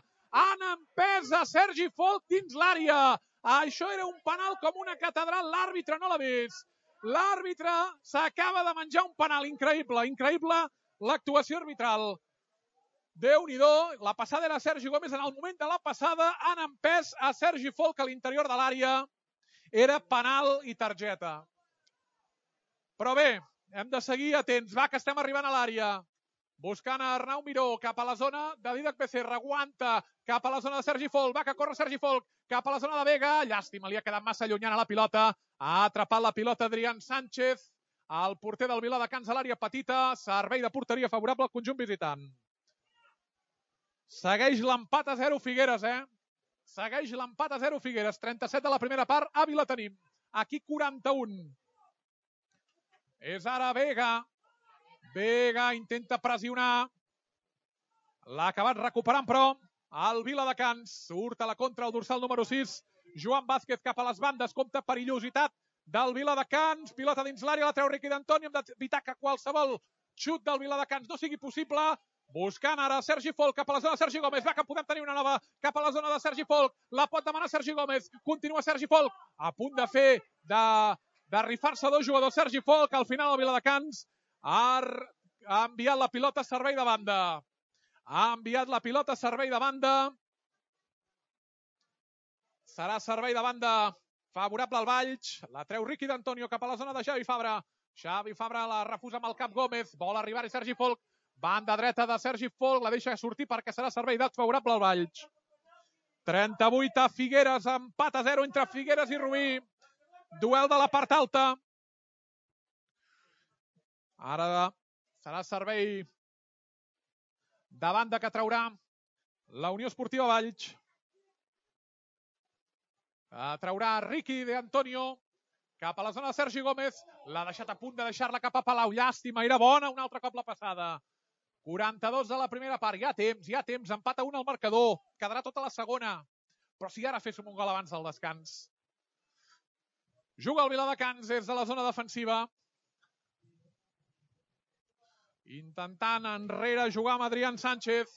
Han empès a Sergi Folk dins l'àrea. Això era un penal com una catedral. L'àrbitre no l'ha vist. L'àrbitre s'acaba de menjar un penal. Increïble, increïble l'actuació arbitral. Déu-n'hi-do, la passada era Sergi Gómez. En el moment de la passada han empès a Sergi Folk a l'interior de l'àrea. Era penal i targeta. Però bé, hem de seguir atents. Va, que estem arribant a l'àrea. Buscant a Arnau Miró cap a la zona de Dídac Becerra. Aguanta cap a la zona de Sergi Folk. Va, que corre Sergi Folk cap a la zona de Vega. Llàstima, li ha quedat massa llunyana la pilota. Ha atrapat la pilota Adrián Sánchez. El porter del Viladecans a l'àrea petita. Servei de porteria favorable al conjunt visitant. Segueix l'empat a 0 Figueres, Segueix l'empat a 0 Figueres. 37 de la primera part, a Vila tenim. Aquí 41. És ara Vega. Vega intenta pressionar. L'ha acabat recuperant, però el Viladecans surt a la contra el dorsal número 6. Joan Vázquez cap a les bandes. Compte perillositat del Viladecans. Pilota dins l'àrea, la treu Riqui d'Antonio. Hem d'evitar que qualsevol xut del Viladecans no sigui possible. Buscant ara Sergi Folk cap a la zona de Sergi Gómez. Va, que podem tenir una nova cap a la zona de Sergi Folk. La pot demanar Sergi Gómez. Continua Sergi Folk. A punt de fer, de rifar-se dos jugadors. Sergi Folk, al final el Viladecans ha enviat la pilota a servei de banda. Ha enviat la pilota a servei de banda. Serà servei de banda favorable al Valls. La treu Riqui d'Antonio cap a la zona de Javi Fabra. Xavi Fabra la refusa amb el cap Gómez. Vol arribar-hi Sergi Folch. Banda dreta de Sergi Folch. La deixa sortir perquè serà servei d'alt favorable al Valls. 38 a Figueres. Empat a 0 entre Figueres i Rubí. Duel de la part alta. Ara serà servei de banda que traurà la Unió Esportiva Valls. Traurà Ricky de Antonio cap a la zona de Sergi Gómez. L'ha deixat a punt de deixar-la cap a Palau. Llàstima, era bona un altre cop la passada. 42 de la primera part. Hi ha temps. Empat a 1 al marcador. Quedarà tota la segona. Però si ara féssim un gol abans del descans. Juga el Viladecans des de la zona defensiva. Intentant enrere jugar amb Adrián Sánchez.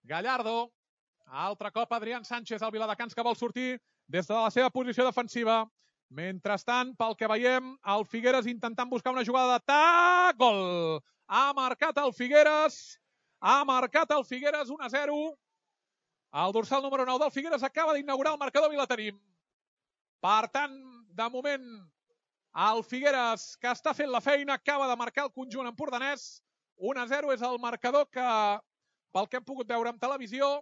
Gallardo. Altre cop Adrián Sánchez, el Viladecans, que vol sortir des de la seva posició defensiva. Mentrestant, pel que veiem, el Figueres intentant buscar una jugada d'atac. Gol! Ha marcat el Figueres. 1-0. El dorsal número 9 del Figueres acaba d'inaugurar el marcador i la tenim. Per tant, de moment, el Figueres, que està fent la feina, acaba de marcar el conjunt empordanès. 1-0 és el marcador que, pel que hem pogut veure en televisió,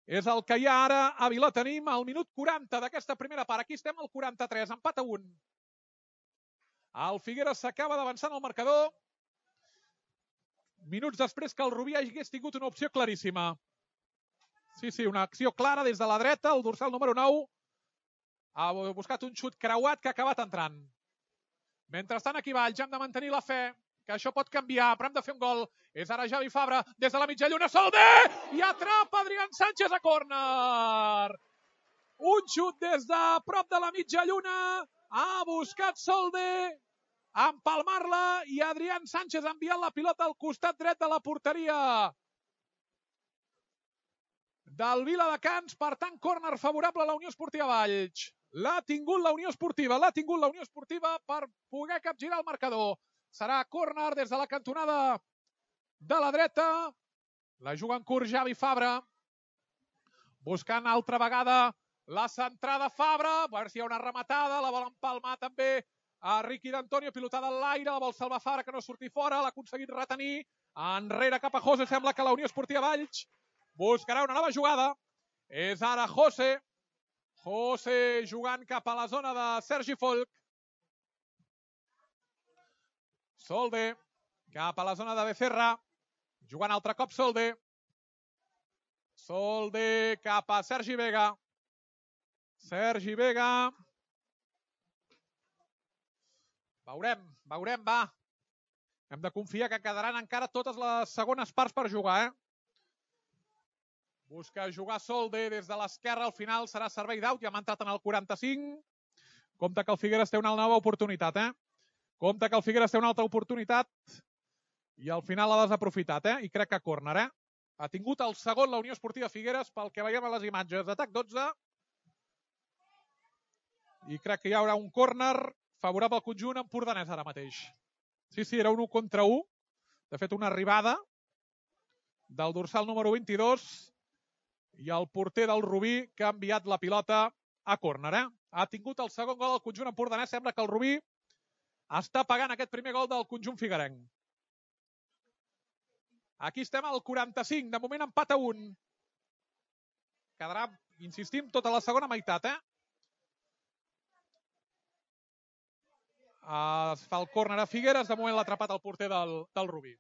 és el que hi ha ara a Vilatenim, al minut 40 d'aquesta primera part. Aquí estem al 43, empat a 1. El Figueres s'acaba d'avançar en el marcador. Minuts després que el Rubí hagués tingut una opció claríssima. Sí, una acció clara des de la dreta. El dorsal número 9 ha buscat un xut creuat que ha acabat entrant. Mentrestant, aquí Valls, hem de mantenir la fe, que això pot canviar, però hem de fer un gol. És ara Xavi Fabra, des de la mitja lluna, Solde! I atrapa Adrián Sánchez a córner. Un xut des de prop de la mitja lluna. Ha buscat Solde empalmar-la i Adrián Sánchez ha enviat la pilota al costat dret de la porteria del Viladecans. Per tant, córner favorable a la Unió Esportiva Valls. L'ha tingut la Unió Esportiva per poder capgirar el marcador. Serà córner des de la cantonada de la dreta. La juga en curt Xavi Fabra. Buscant altra vegada la centrada Fabra. A veure si hi ha una rematada. La vol empalmar també a Ricky d'Antonio. Pilotada en l'aire. La vol salvar Fabra, que no surti fora. L'ha aconseguit retenir. Enrere cap a José. Sembla que la Unió Esportiva Valls buscarà una nova jugada. És ara José. José jugant cap a la zona de Sergi Folch. Solde cap a la zona de Becerra. Jugant altre cop Solde. Solde cap a Sergi Vega. Sergi Vega. Veurem, va. Hem de confiar que quedaran encara totes les segones parts per jugar, Busca jugar Solde des de l'esquerra. Al final serà servei d'aut. Ja m'ha entrat en el 45. Compte que el Figueres té una nova oportunitat, Compte que el Figueres té una altra oportunitat i al final l'ha desaprofitat, I crec que córner, Ha tingut el segon la Unió Esportiva Figueres pel que veiem a les imatges. Atac 12. I crec que hi haurà un córner favorable al conjunt empordanès ara mateix. Sí, era un 1 contra 1. De fet, una arribada del dorsal número 22 i el porter del Rubí, que ha enviat la pilota a córner, Ha tingut el segon gol del conjunt empordanès. Sembla que el Rubí està pagant aquest primer gol del conjunt figuerenc. Aquí estem al 45. De moment empat a 1. Quedarà, insistim, tota la segona meitat, Es fa el córner a Figueres. De moment l'ha atrapat el porter del Rubí.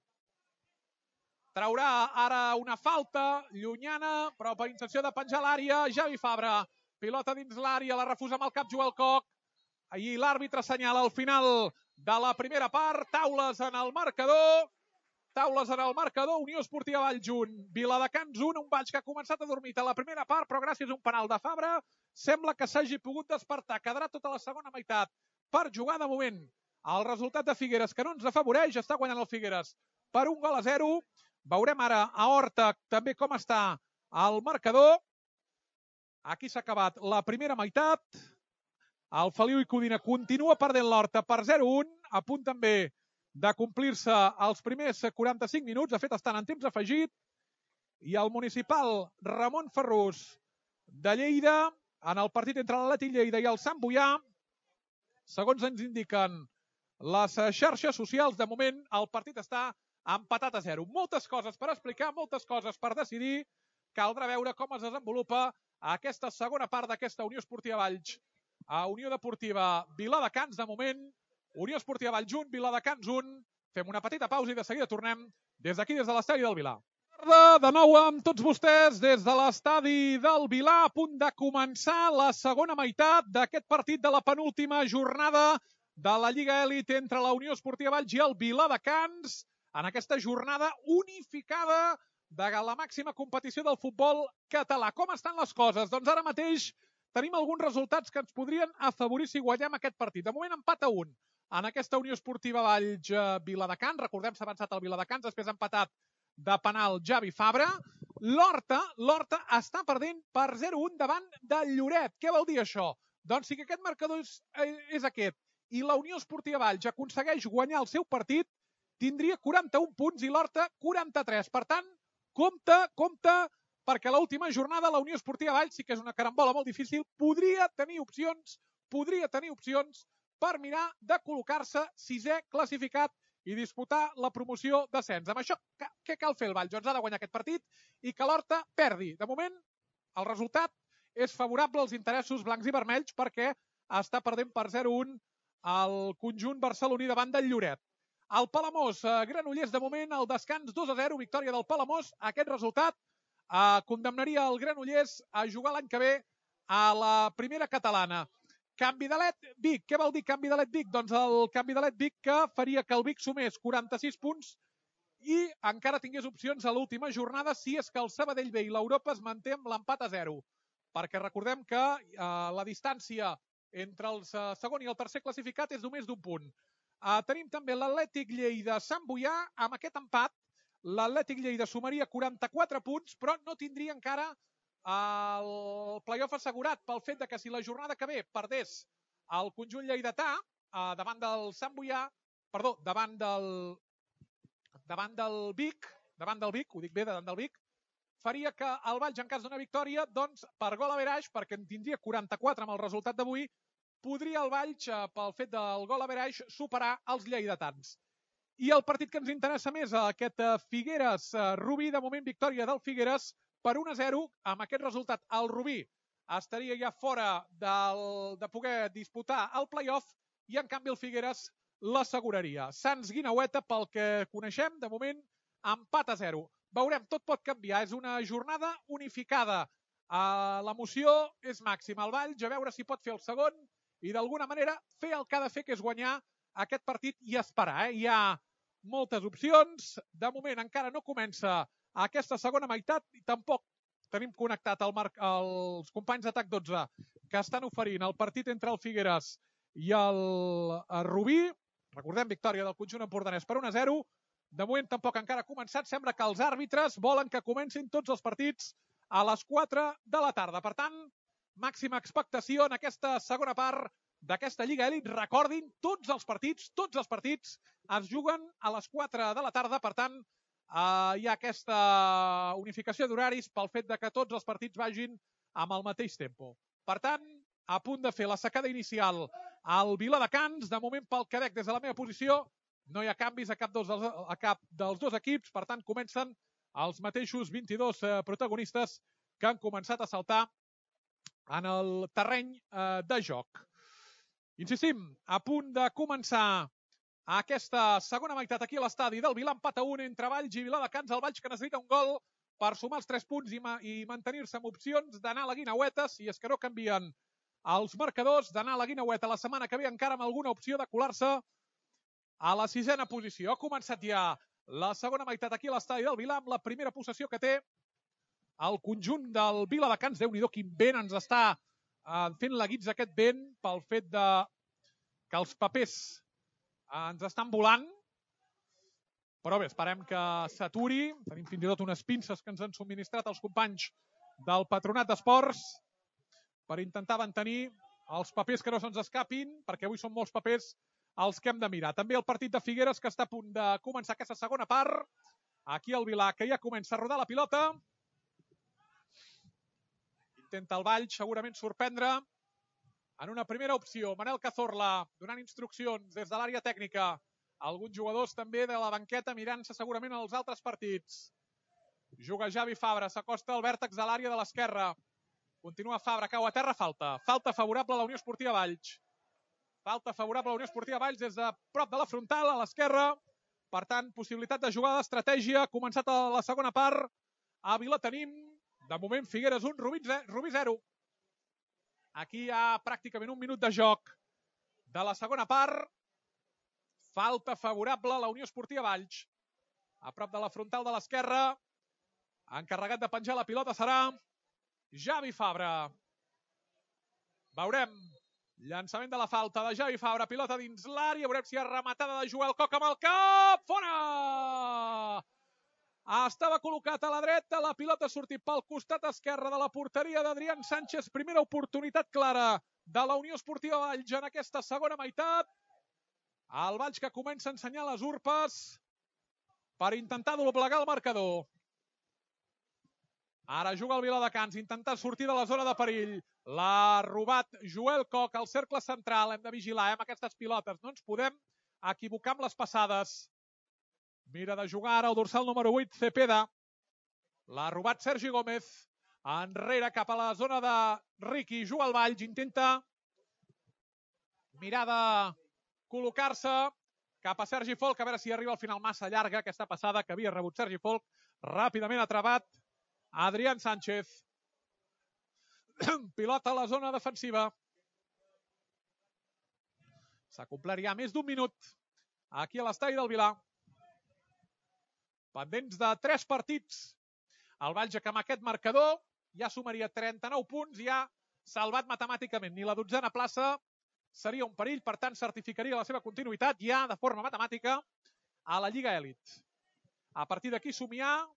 Traurà ara una falta llunyana, però per intenció de penjar l'àrea. Xavi Fabra. Pilota dins l'àrea, la refusa amb el cap Joel Koch. I l'àrbitre assenyala al final de la primera part. Taules en el marcador. Unió Esportiva Valls 1. Viladecans 1. Un Valls que ha començat a dormir a la primera part, però gràcies a un penal de Fabra sembla que s'hagi pogut despertar. Quedarà tota la segona meitat per jugar. De moment el resultat de Figueres, que no ens afavoreix, està guanyant el Figueres per 1-0. Veurem ara a Horta també com està el marcador. Aquí s'ha acabat la primera meitat. El Feliu i Codina continua perdent l'Horta per 0-1. A punt també de complir-se els primers 45 minuts. De fet, estan en temps afegit. I el municipal Ramon Ferrús de Lleida, en el partit entre l'Atlètic Lleida i el Sant Boià, segons ens indiquen les xarxes socials, de moment el partit està empatat a 0. Moltes coses per explicar, moltes coses per decidir. Caldrà veure com es desenvolupa aquesta segona part d'aquesta Unió Esportiva Valls a Unió Deportiva Viladecans. De moment, Unió Esportiva Valls 1, Viladecans 1. Fem una petita pausa i de seguida tornem des d'aquí, des de l'estadi del Vilar. De nou amb tots vostès des de l'estadi del Vilar, a punt de començar la segona meitat d'aquest partit de la penúltima jornada de la Lliga Elit entre la Unió Esportiva Valls i el Viladecans, en aquesta jornada unificada de la màxima competició del futbol català. Com estan les coses? Doncs ara mateix tenim alguns resultats que ens podrien afavorir si guanyem aquest partit. De moment empat a 1 en aquesta Unió Esportiva Valls Viladecans. Recordem, s'ha avançat el Viladecans, després ha empatat de penal Javi Fabra. L'Horta està perdent per 0-1 davant del Lloret. Què vol dir això? Doncs si aquest marcador és aquest i la Unió Esportiva Valls aconsegueix guanyar el seu partit, tindria 41 punts i l'Horta 43. Per tant, compte, perquè l'última jornada la Unió Esportiva Valls, sí que és una carambola molt difícil, podria tenir opcions per mirar de col·locar-se sisè classificat i disputar la promoció d'ascens. Amb això, què cal fer el Valls? Doncs ha de guanyar aquest partit i que l'Horta perdi. De moment, el resultat és favorable als interessos blancs i vermells perquè està perdent per 0-1 el conjunt barceloní davant del Lloret. El Palamós, Granollers, de moment, el descans 2-0, victòria del Palamós. Aquest resultat condemnaria el Granollers a jugar l'any que ve a la primera catalana. Canvidalet Vic. Què vol dir Canvidalet Vic? Doncs el Canvidalet Vic que faria que el Vic sumés 46 punts i encara tingués opcions a l'última jornada si és que el Sabadell B i l'Europa es manté amb l'empat a 0. Perquè recordem que la distància entre el segon i el tercer classificat és només d'un punt. Tenim també l'Atlètic Lleida-Sant Boià. Amb aquest empat, l'Atlètic Lleida sumaria 44 punts, però no tindria encara el play-off assegurat pel fet que si la jornada que ve perdés el conjunt lleidatà davant del Sant Boià, perdó, davant del Vic, ho dic bé, davant del Vic, faria que el Valls, en cas d'una victòria, doncs per gol average, perquè en tindria 44 amb el resultat d'avui, podria el Valls, pel fet del gol average, superar els lleidatans. I el partit que ens interessa més, aquest Figueres-Rubí, de moment victòria del Figueres per 1-0. Amb aquest resultat, el Rubí estaria ja fora de poder disputar el play-off i, en canvi, el Figueres l'asseguraria. Sants Guinaueta, pel que coneixem, de moment, empat a 0. Veurem, tot pot canviar. És una jornada unificada. L'emoció és màxima. El Valls, a veure si pot fer el segon i, d'alguna manera, fer el que ha de fer, que és guanyar aquest partit i esperar. Hi ha moltes opcions. De moment encara no comença aquesta segona meitat i tampoc tenim connectat els companys d'Atac 12 que estan oferint el partit entre el Figueres i el Rubí. Recordem, victòria del conjunt empordanès per 1-0. De moment tampoc encara ha començat. Sembla que els àrbitres volen que comencin tots els partits a les 4 de la tarda. Per tant, màxima expectació en aquesta segona part d'aquesta Lliga Elit. Recordin, tots els partits es juguen a les 4 de la tarda. Per tant, hi ha aquesta unificació d'horaris pel fet que tots els partits vagin amb el mateix tempo. Per tant, a punt de fer la secada inicial al Viladecans. De moment, pel que veig des de la meva posició, no hi ha canvis a cap dels dos equips. Per tant, comencen els mateixos 22 protagonistes que han començat a saltar en el terreny de joc. Insistim, a punt de començar aquesta segona meitat aquí a l'estadi del Vilar, empat a 1 entre Valls i Viladecans. El Valls que necessita un gol per sumar els 3 punts i mantenir-se amb opcions d'anar a la Guinaueta, si és que no canvien els marcadors, d'anar a la Guinaueta la setmana que ve encara amb alguna opció de colar-se a la 6a posició. Ha començat ja la segona meitat aquí a l'estadi del Vilar amb la primera possessió que té el conjunt del Viladecans. Déu-n'hi-do, quin vent ens està fent la guitza aquest vent pel fet que els papers ens estan volant, però bé, esperem que s'aturi. Tenim fins i tot unes pinces que ens han subministrat els companys del Patronat d'Esports per intentar mantenir els papers que no se'ns escapin, perquè avui són molts papers els que hem de mirar. També el partit de Figueres, que està a punt de començar aquesta segona part. Aquí el Vilar, que ja comença a rodar la pilota. Intenta el Valls segurament sorprendre. En una primera opció, Manel Cazorla donant instruccions des de l'àrea tècnica. Alguns jugadors també de la banqueta mirant-se segurament els altres partits. Juga Javi Fabra, s'acosta al vèrtex de l'àrea de l'esquerra. Continua Fabra, cau a terra, falta. Falta favorable a la Unió Esportiva Valls. Falta favorable a la Unió Esportiva Valls des de prop de la frontal, a l'esquerra. Per tant, possibilitat de jugada d'estratègia. Ha començat a la segona part. A Vila tenim, de moment, Figueres 1, Rubí 0. Aquí hi ha pràcticament un minut de joc de la segona part. Falta favorable a la Unió Esportiva Valls. A prop de la frontal de l'esquerra. Encarregat de penjar la pilota serà Javi Fabra. Veurem. Llançament de la falta de Javi Fabra. Pilota dins l'àrea. Veurem si hi ha rematada de Joel Coc amb el cap. Fora! Estava col·locat a la dreta. La pilota ha sortit pel costat esquerre de la porteria d'Adrián Sánchez. Primera oportunitat clara de la Unió Esportiva Valls en aquesta segona meitat. El Valls que comença a ensenyar les urpes per intentar doblegar el marcador. Ara juga el Viladecans, intentar sortir de la zona de perill. L'ha robat Joel Coc al cercle central. Hem de vigilar amb aquestes pilotes. No ens podem equivocar amb les passades. Mira de jugar ara el dorsal número 8, Cepeda. L'ha robat Sergi Gómez. Enrere cap a la zona de Riqui. Juga el Valls, intenta mirar de col·locar-se cap a Sergi Folk. A veure si arriba al final massa llarga aquesta passada que havia rebut Sergi Folk. Ràpidament ha travat Adrián Sánchez. Pilota a la zona defensiva. S'ha complert ja més d'un minut aquí a l'estadi del Vilar. Pendents de 3 partits. El Valls que amb aquest marcador ja sumaria 39 punts i ha salvat matemàticament. Ni la 12a plaça seria un perill, per tant certificaria la seva continuïtat ja de forma matemàtica a la Lliga Elit. A partir d'aquí somiar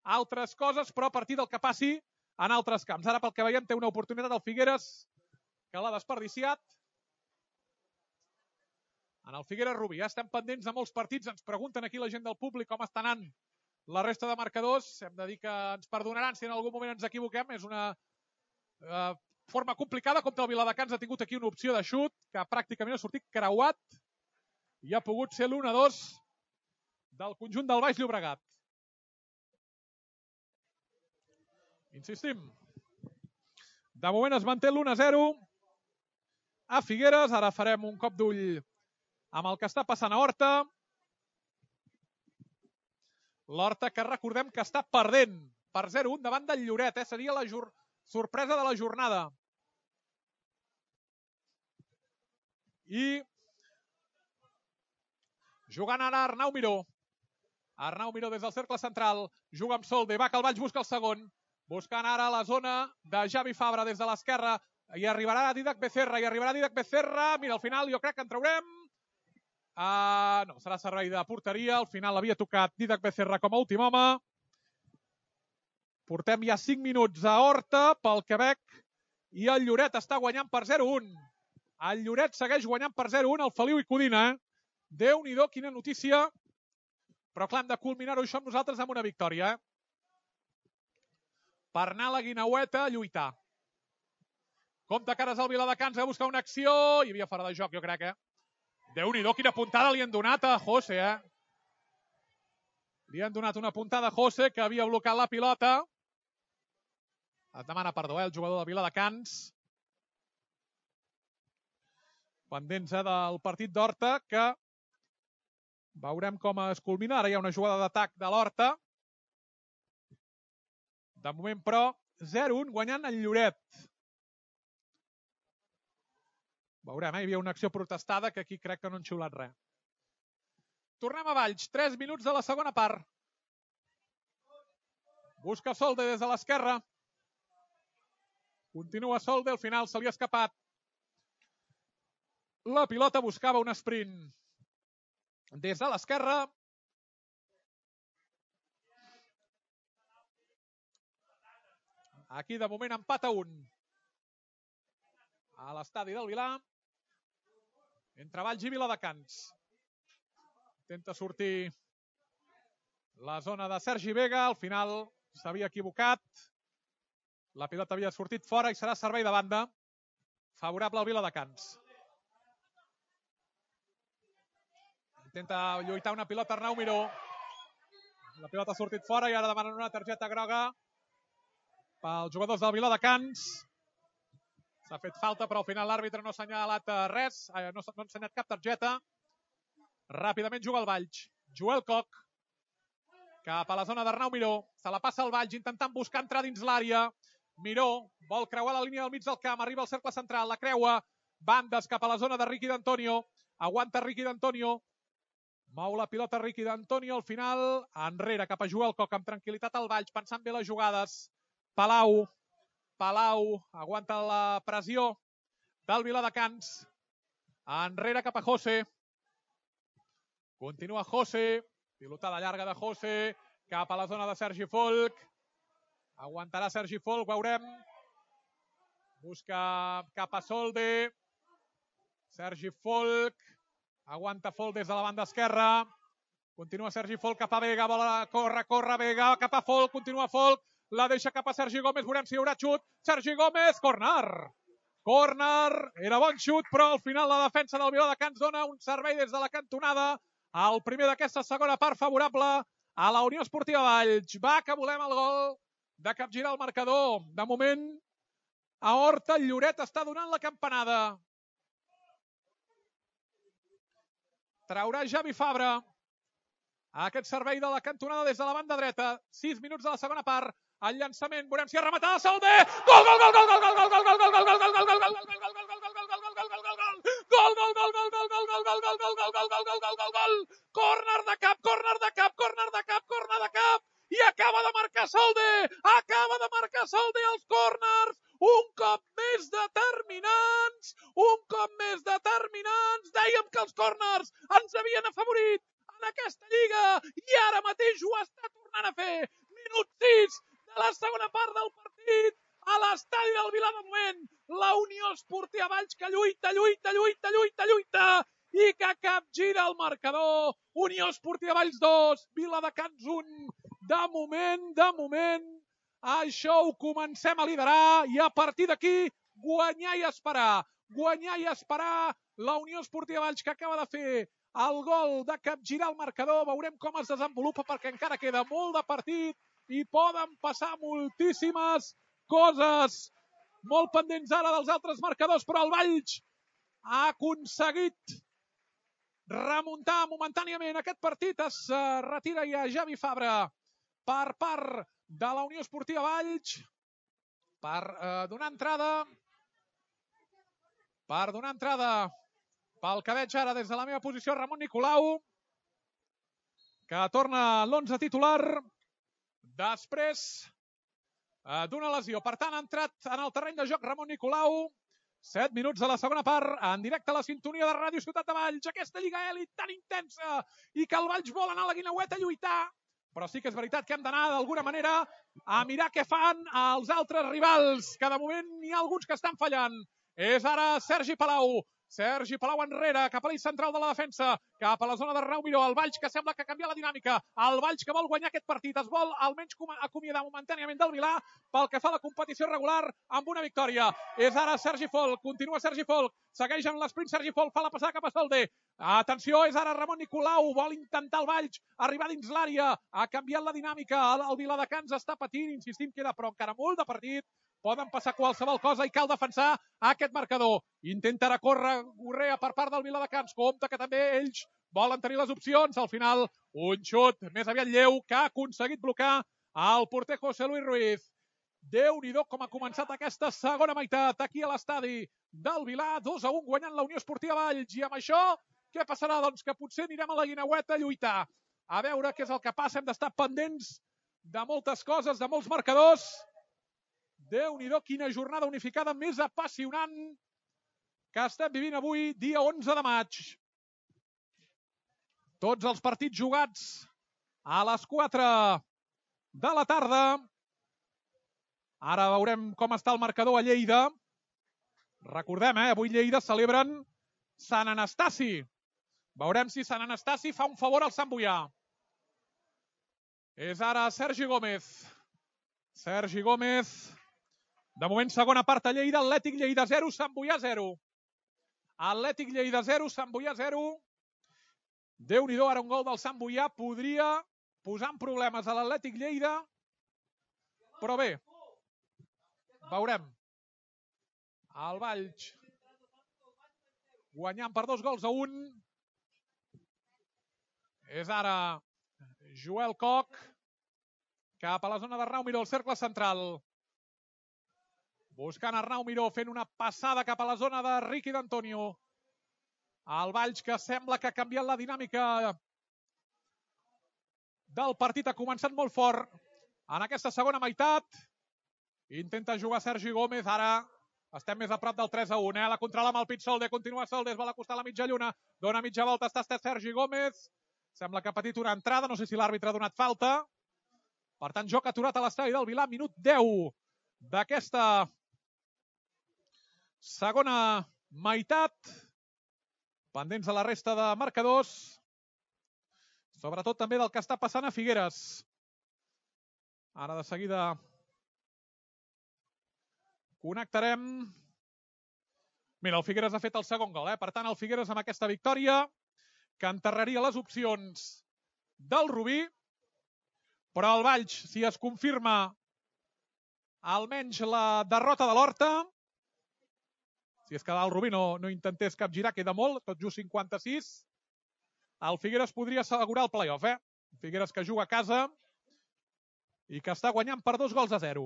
altres coses, però a partir del que passi en altres camps. Ara, pel que veiem, té una oportunitat al Figueres que l'ha desperdiciat. En el Figueres Rubí. Ja estem pendents de molts partits. Ens pregunten aquí la gent del públic com està anant la resta de marcadors. Hem de dir que ens perdonaran si en algun moment ens equivoquem. És una forma complicada. Com que el Viladecans ha tingut aquí una opció de xut que pràcticament ha sortit creuat i ha pogut ser l'1-2 del conjunt del Baix Llobregat. Insistim. De moment es manté l'1-0 a Figueres. Ara farem un cop d'ull amb el que està passant a Horta. L'Horta que recordem que està perdent per 0-1 davant del Lloret. Seria la sorpresa de la jornada. I jugant ara Arnau Miró. Arnau Miró des del cercle central. Juga amb Solde. Va que el Valls busca el segon. Buscant ara la zona de Javi Fabra des de l'esquerra. I arribarà Didac Becerra. Mira, al final jo crec que en traurem. No, serà servei de porteria. Al final havia tocat Didac Becerra com a últim home. Portem ja 5 minuts a Horta pel Quebec. I el Lloret està guanyant per 0-1. El Lloret segueix guanyant per 0-1 el Feliu i Codina. Déu-n'hi-do, quina notícia. Però clar, hem de culminar-ho això amb nosaltres amb una victòria. Per anar a la Guinaueta a lluitar. Compte cares al Viladecans a buscar una acció. Hi havia fora de joc, jo crec, Déu-n'hi-do, quina puntada li han donat a José, Li han donat una puntada a José, que havia blocat la pilota. Es demana perdó, el jugador del Viladecans. Pendents del partit d'Horta, que veurem com es culmina. Ara hi ha una jugada d'atac de l'Horta. De moment, però, 0-1 guanyant el Lloret. Veurem, hi havia una acció protestada que aquí crec que no han xiulat res. Tornem a Valls, 3 minuts de la segona part. Busca Solde des de l'esquerra. Continua Solde, al final se li ha escapat. La pilota buscava un sprint des de l'esquerra. Aquí de moment empat a 1. A l'estadi del Vilar. Entre Valls i Viladecans. Intenta sortir la zona de Sergi Vega. Al final s'havia equivocat. La pilota havia sortit fora i serà servei de banda. favorable al Viladecans. Intenta lluitar una pilota Arnau Miró. La pilota ha sortit fora i ara demanen una targeta groga pels jugadors del Viladecans. S'ha fet falta, però al final l'àrbitre no ha assenyalat res, no ha ensenyat cap targeta. Ràpidament juga el Valls. Joel Koch, cap a la zona d'Arnau Miró. Se la passa al Valls, intentant buscar entrar dins l'àrea. Miró vol creuar la línia del mig del camp, arriba al cercle central, la creua. Bandes cap a la zona de Riqui d'Antonio. Aguanta Riqui d'Antonio. Mou la pilota Riqui d'Antonio, al final enrere cap a Joel Koch, amb tranquil·litat al Valls, pensant bé les jugades. Palau aguanta la pressió del Viladecans. Enrere cap a José. Continua José, pilotada llarga de José, cap a la zona de Sergi Folk. Aguantarà Sergi Folk, veurem. Busca cap a Solde. Sergi Folk. Aguanta Folk des de la banda esquerra. Continua Sergi Folk cap a Vega. Vol corre Vega cap a Folk. Continua Folk. La deixa cap a Sergi Gómez. Veurem si hi haurà xut. Sergi Gómez. Córner. Era bon xut, però al final la defensa del Viladecans dona un servei des de la cantonada. El primer d'aquesta segona part favorable a la Unió Esportiva Valls. Va, que volem el gol de capgirar el marcador. De moment, a Horta, el Lloret està donant la campanada. Traurà Javi Fabra aquest servei de la cantonada des de la banda dreta. 6 minuts de la segona part. El llançament, veurem si ha rematat Solde. Gol, gol, gol, gol, gol, gol, gol, gol, gol, gol, gol, gol, gol, gol, gol, corner de cap, i acaba de marcar Solde els córners, un cop més determinants, dèiem que els córners ens havien afavorit en aquesta lliga, i ara mateix ho està tornant a fer. Minut 6 de la segona part del partit, a l'estadi del Vilar de moment, la Unió Esportiva Valls que lluita i que capgira el marcador. Unió Esportiva Valls 2, Viladecans 1. De moment, això ho comencem a liderar i a partir d'aquí guanyar i esperar. La Unió Esportiva Valls que acaba de fer el gol de capgirar el marcador. Veurem com es desenvolupa perquè encara queda molt de partit i poden passar moltíssimes coses. Molt pendents ara dels altres marcadors, però el Valls ha aconseguit remuntar momentàniament aquest partit. Es retira ja Javi Fabra per part de la Unió Esportiva Valls per donar entrada pel que veig ara des de la meva posició Ramon Nicolau, que torna l'11 titular després d'una lesió. Per tant, ha entrat en el terreny de joc Ramon Nicolau. 7 minuts de la segona part, en directe a la sintonia de Ràdio Ciutat de Valls. Aquesta Lliga Elit tan intensa i que el Valls vol anar a la Guineueta a lluitar. Però sí que és veritat que hem d'anar d'alguna manera a mirar què fan els altres rivals, que de moment n'hi ha alguns que estan fallant. És ara Sergi Palau enrere, cap a l'eix central de la defensa, cap a la zona d'Arnau Miró, el Valls que sembla que ha canviat la dinàmica, el Valls que vol guanyar aquest partit, es vol almenys acomiadar momentàniament del Vilar pel que fa a la competició regular amb una victòria. És ara Sergi Folk, continua Sergi Folk, segueix en l'esprint Sergi Folk, fa la passada cap a Solde. Atenció, és ara Ramon Nicolau, vol intentar el Valls arribar dins l'àrea, ha canviat la dinàmica, el Viladecans està patint, insistim, queda però encara molt de partit. Poden passar qualsevol cosa i cal defensar aquest marcador. Intentarà córrer Gorrea per part del Viladecans. Compte que també ells volen tenir les opcions. Al final, un xut més aviat lleu que ha aconseguit blocar el porter José Luis Ruiz. Déu-n'hi-do com ha començat aquesta segona meitat aquí a l'estadi del Vilar. 2-1 guanyant la Unió Esportiva Valls. I amb això, què passarà? Doncs que potser anirem a la Guineueta a lluitar. A veure què és el que passa. Hem d'estar pendents de moltes coses, de molts marcadors. Déu-n'hi-do, quina jornada unificada més apassionant que estem vivint avui, dia 11 de maig. Tots els partits jugats a les 4 de la tarda. Ara veurem com està el marcador a Lleida. Recordem, avui Lleida celebren Sant Anastasi. Veurem si Sant Anastasi fa un favor al Sant Boià. És ara Sergi Gómez. De moment, segona part a Lleida, Atlètic Lleida 0, Sant Boià 0. Atlètic Lleida 0, Sant Boià 0. Déu-n'hi-do, ara un gol del Sant Boià podria posar en problemes a l'Atlètic Lleida, però bé, veurem. El Valls guanyant per 2-1. És ara Joel Koch cap a la zona d'Arnau Miró, el cercle central. Buscant Arnau Miró, fent una passada cap a la zona de Riqui d'Antonio. El Valls, que sembla que ha canviat la dinàmica del partit, ha començat molt fort en aquesta segona meitat. Intenta jugar Sergi Gómez, ara estem més a prop del 3-1. La controla amb el pit Solde, continua Solde, es vol acostar a la mitja lluna, dona mitja volta, està Sergi Gómez. Sembla que ha patit una entrada, no sé si l'àrbitre ha donat falta. Per tant, joc aturat a l'estadi del Vilà, minut 10 d'aquesta segona meitat. Pendents de la resta de marcadors, sobretot també del que està passant a Figueres. Ara de seguida connectarem. Mira, el Figueres ha fet el segon gol. Per tant, el Figueres amb aquesta victòria que enterraria les opcions del Rubí. Però el Valls, si es confirma almenys la derrota de l'Horta, si és que el Rubí no intentés capgirar, queda molt, tot just 56, el Figueres podria assegurar el play-off. Figueres que juga a casa i que està guanyant per 2-0.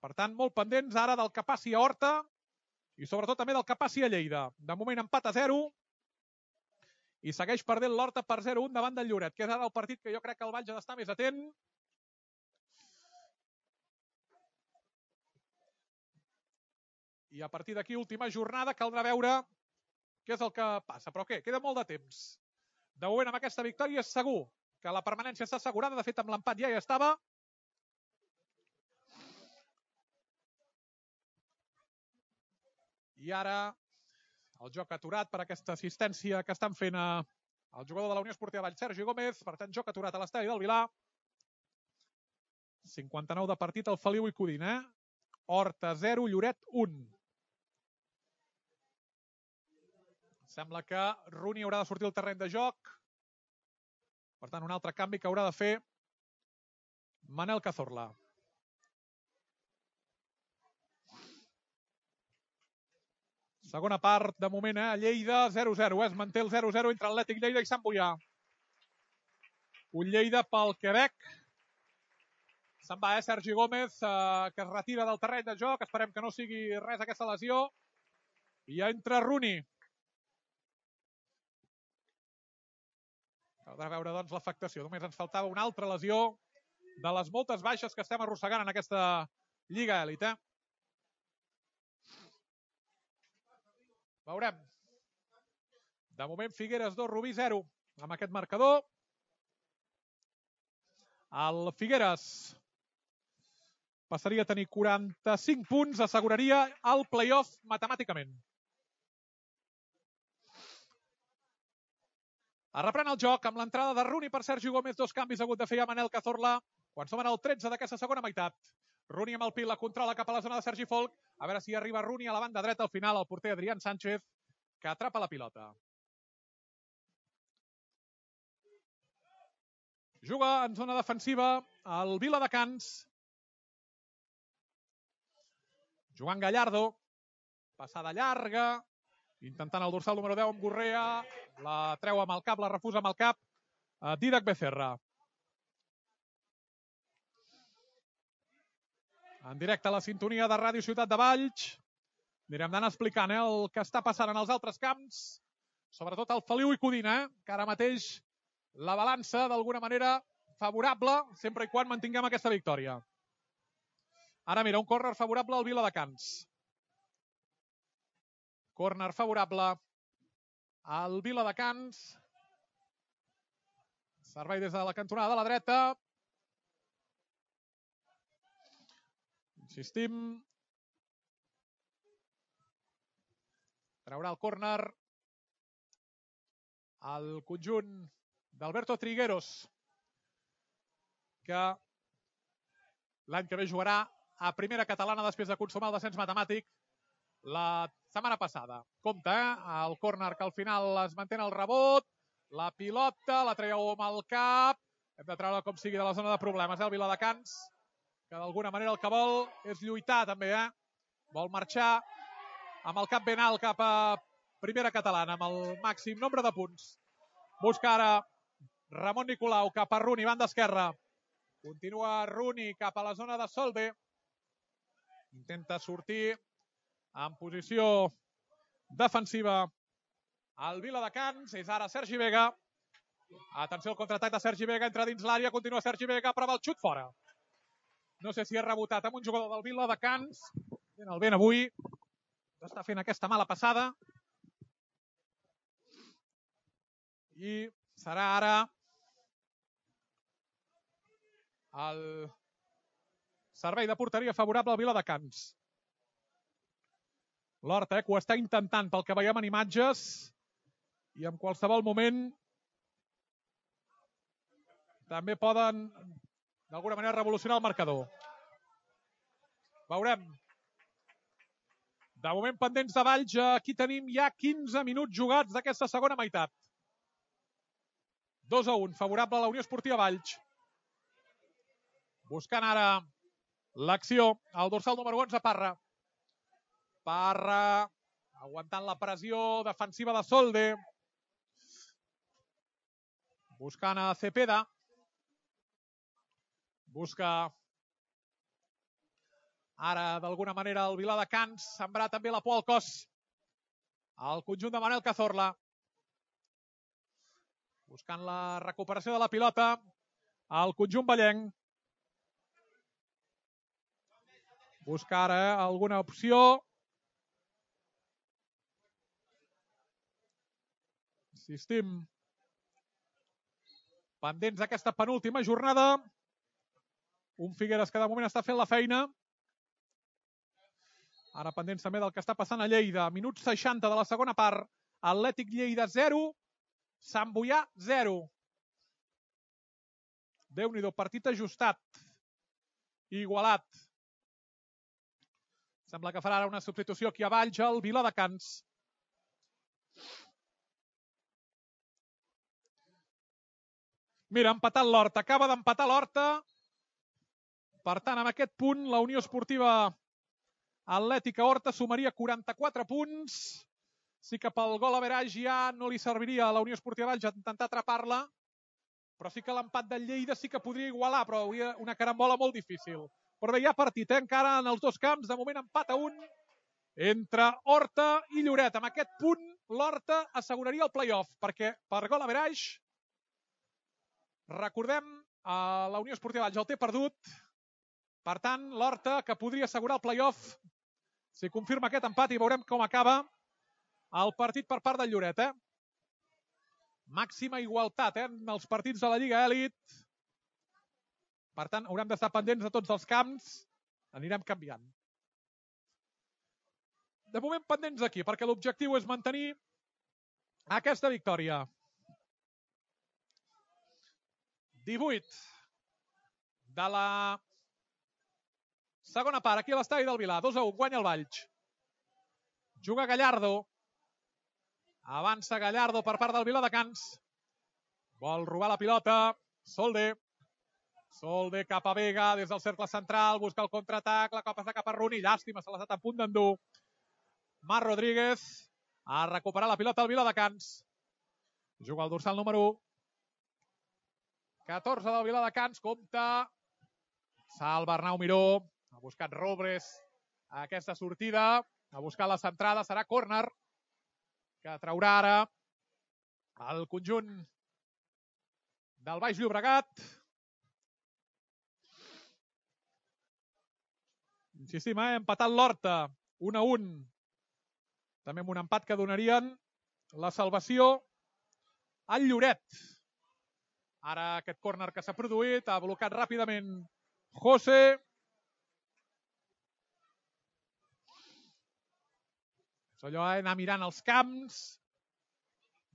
Per tant, molt pendents ara del que passi a Horta i sobretot també del que passi a Lleida. De moment empat a 0 i segueix perdent l'Horta per 0-1 davant del Lloret, que és ara el partit que jo crec que el Valls ha d'estar més atent. I a partir d'aquí, última jornada, caldrà veure què és el que passa. Però què? Queda molt de temps. De moment, amb aquesta victòria és segur que la permanència està assegurada. De fet, amb l'empat ja hi estava. I ara el joc aturat per aquesta assistència que estan fent el jugador de la Unió Esportiva Valls, Sergi Gómez. Per tant, joc aturat a l'estadi del Vilà. 59 de partit al Feliu i Codin. Horta 0, Lloret 1. Sembla que Rooney haurà de sortir al terreny de joc. Per tant, un altre canvi que haurà de fer Manel Cazorla. Segona part, de moment, a Lleida, 0-0. Es manté el 0-0 entre Atlètic Lleida i Sant Boià. Un Lleida pel Quebec. Se'n va, Sergi Gómez, que es retira del terreny de joc. Esperem que no sigui res aquesta lesió. I ja entra Rooney. Caldrà veure, doncs, l'afectació. Només ens faltava una altra lesió de les moltes baixes que estem arrossegant en aquesta Lliga Elit. Veurem. De moment, Figueres 2, Rubí 0. Amb aquest marcador. El Figueres passaria a tenir 45 punts, asseguraria el play-off matemàticament. Es reprèn el joc amb l'entrada de Rooney per Sergi Gómez. 2 canvis ha hagut de fer a Manel Cazorla quan som en el 13 d'aquesta segona meitat. Rooney amb el pit, la controla cap a la zona de Sergi Folk. A veure si arriba Rooney a la banda dreta al final, el porter Adrián Sánchez, que atrapa la pilota. Juga en zona defensiva el Viladecans. Joan Gallardo. Passada llarga. Intentant el dorsal número 10 amb Gorrea. La treu amb el cap, la refusa amb el cap. Dídac Becerra. En directe a la sintonia de Ràdio Ciutat de Valls. Anirem d'anar explicant el que està passant en els altres camps. Sobretot al Feliu i Codin, que ara mateix la balança d'alguna manera favorable, sempre i quan mantinguem aquesta victòria. Ara mira, un córner favorable al Viladecans. Córner favorable al Viladecans. Servei des de la cantonada de la dreta. Insistim. Traurà el córner al conjunt d'Alberto Trigueros, que l'any que ve jugarà a primera catalana després de consumar el descens matemàtic la setmana passada. Compte, el córner que al final es manté el rebot, la pilota, la traieu amb el cap, hem de treure com sigui de la zona de problemes, el Viladecans, que d'alguna manera el que vol és lluitar també, vol marxar amb el cap ben alt cap a primera catalana, amb el màxim nombre de punts. Busca ara Ramon Nicolau cap a Runi, banda esquerra. Continua Runi cap a la zona de Solde. Intenta sortir en posició defensiva el Viladecans. És ara Sergi Vega. Atenció al contraatac de Sergi Vega. Entra dins l'àrea, continua Sergi Vega, prova el xut fora. No sé si és rebotat amb un jugador del Viladecans. Fent el vent avui. Està fent aquesta mala passada. I serà ara el servei de porteria favorable al Viladecans. L'Horta, que ho està intentant pel que veiem en imatges, i en qualsevol moment també poden d'alguna manera revolucionar el marcador. Veurem. De moment pendents de Valls, aquí tenim ja 15 minuts jugats d'aquesta segona meitat. 2-1, favorable a la Unió Esportiva Valls. Buscant ara l'acció, el dorsal número 11, Parra. Parra, aguantant la pressió defensiva de Solde. Buscant a Cepeda. Busca ara, d'alguna manera, el Viladecans. Sembrar també la por al cos. El conjunt de Manel Cazorla. Buscant la recuperació de la pilota. El conjunt vallenc. Busca ara alguna opció. Insistim. Pendents d'aquesta penúltima jornada. Un Figueres que de moment està fent la feina. Ara pendents també del que està passant a Lleida. Minut 60 de la segona part. Atlètic Lleida 0. Sant Boià 0. Déu-n'hi-do, partit ajustat. Igualat. Sembla que farà ara una substitució aquí a Valls, el Viladecans. Mira, ha empatat l'Horta. Acaba d'empatar l'Horta. Per tant, amb aquest punt, la Unió Esportiva Atlètica Horta sumaria 44 punts. Sí que pel gol average ja no li serviria a la Unió Esportiva Valls intentar atrapar-la, però sí que l'empat del Lleida sí que podria igualar, però hauria una carambola molt difícil. Però bé, hi ha partit, encara en els dos camps. De moment empat a 1 entre Horta i Lloret. Amb aquest punt, l'Horta asseguraria el play-off, perquè per gol average, recordem, la Unió Esportiva Valls el té perdut. Per tant, l'Horta, que podria assegurar el play-off, si confirma aquest empat, i veurem com acaba el partit per part del Lloret. Màxima igualtat en els partits de la Lliga Elit. Per tant, haurem d'estar pendents de tots els camps. Anirem canviant. De moment pendents aquí, perquè l'objectiu és mantenir aquesta victòria. 18 de la segona part, aquí a l'estadi del Vilar. 2-1, guanya el Valls. Juga Gallardo. Avança Gallardo per part del Viladecans. Vol robar la pilota. Solde. Solde cap a Vega, des del cercle central. Busca el contraatac, la cop està cap a Runi. Llàstima, se l'ha estat a punt d'endur. Marc Rodríguez. A recuperar la pilota al Viladecans. Juga el dorsal número 14 del Viladecans. Compte. Salva Arnau Miró. Ha buscat Robres aquesta sortida. Ha buscat la centrada. Serà córner que traurà ara el conjunt del Baix Llobregat. Insistim, empatat l'Horta 1-1. També amb un empat que donarien la salvació al Lloret. Ara aquest córner que s'ha produït, ha blocat ràpidament José. És allò, anar mirant els camps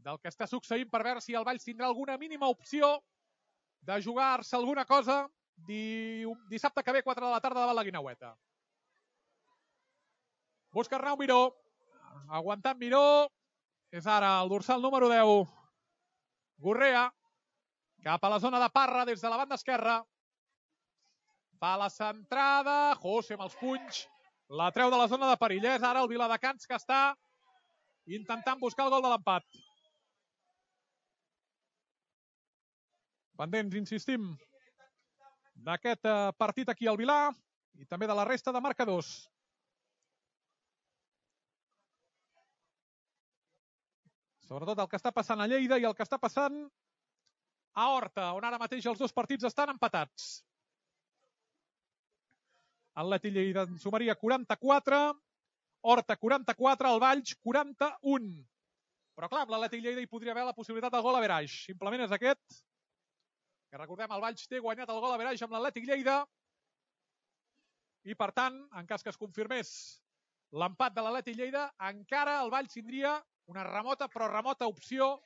del que està succeint per veure si el Valls tindrà alguna mínima opció de jugar-se alguna cosa dissabte que ve, 4 de la tarda, davant la Guineueta. Busca Arnau Miró. Aguantant Miró. És ara el dorsal número 10. Gurrea. Cap a la zona de Parra des de la banda esquerra. Fa la centrada. José amb els punys. La treu de la zona de perill. És ara el Viladecans que està intentant buscar el gol de l'empat. Pendents, insistim, d'aquest partit aquí al Vilà i també de la resta de marcadors. Sobretot el que està passant a Lleida i el que està passant a Horta, on ara mateix els dos partits estan empatats. Atleti Lleida en sumaria 44, Horta 44, el Valls 41. Però clar, amb l'Atleti Lleida hi podria haver la possibilitat del gol average. Simplement és aquest, que recordem, el Valls té guanyat el gol average amb l'Atlètic Lleida i, per tant, en cas que es confirmés l'empat de l'Atlètic Lleida, encara el Valls tindria una remota, però remota opció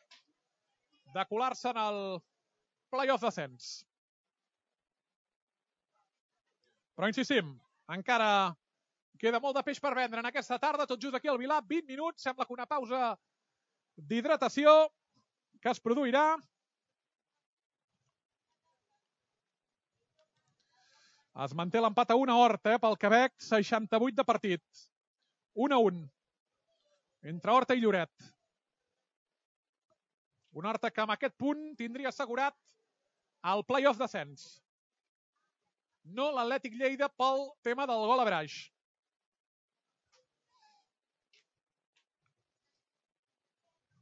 de colar-se en el play-off d'ascens. Però insistim, encara queda molt de peix per vendre en aquesta tarda, tot just aquí al Vilà, 20 minuts, sembla que una pausa d'hidratació que es produirà. Es manté l'empat a 1 a Horta, pel Quebec, 68 de partit. 1-1. Entre Horta i Lloret. Un Horta que amb aquest punt tindria assegurat el play-off d'ascens. No l'Atlètic Lleida pel tema del gol average.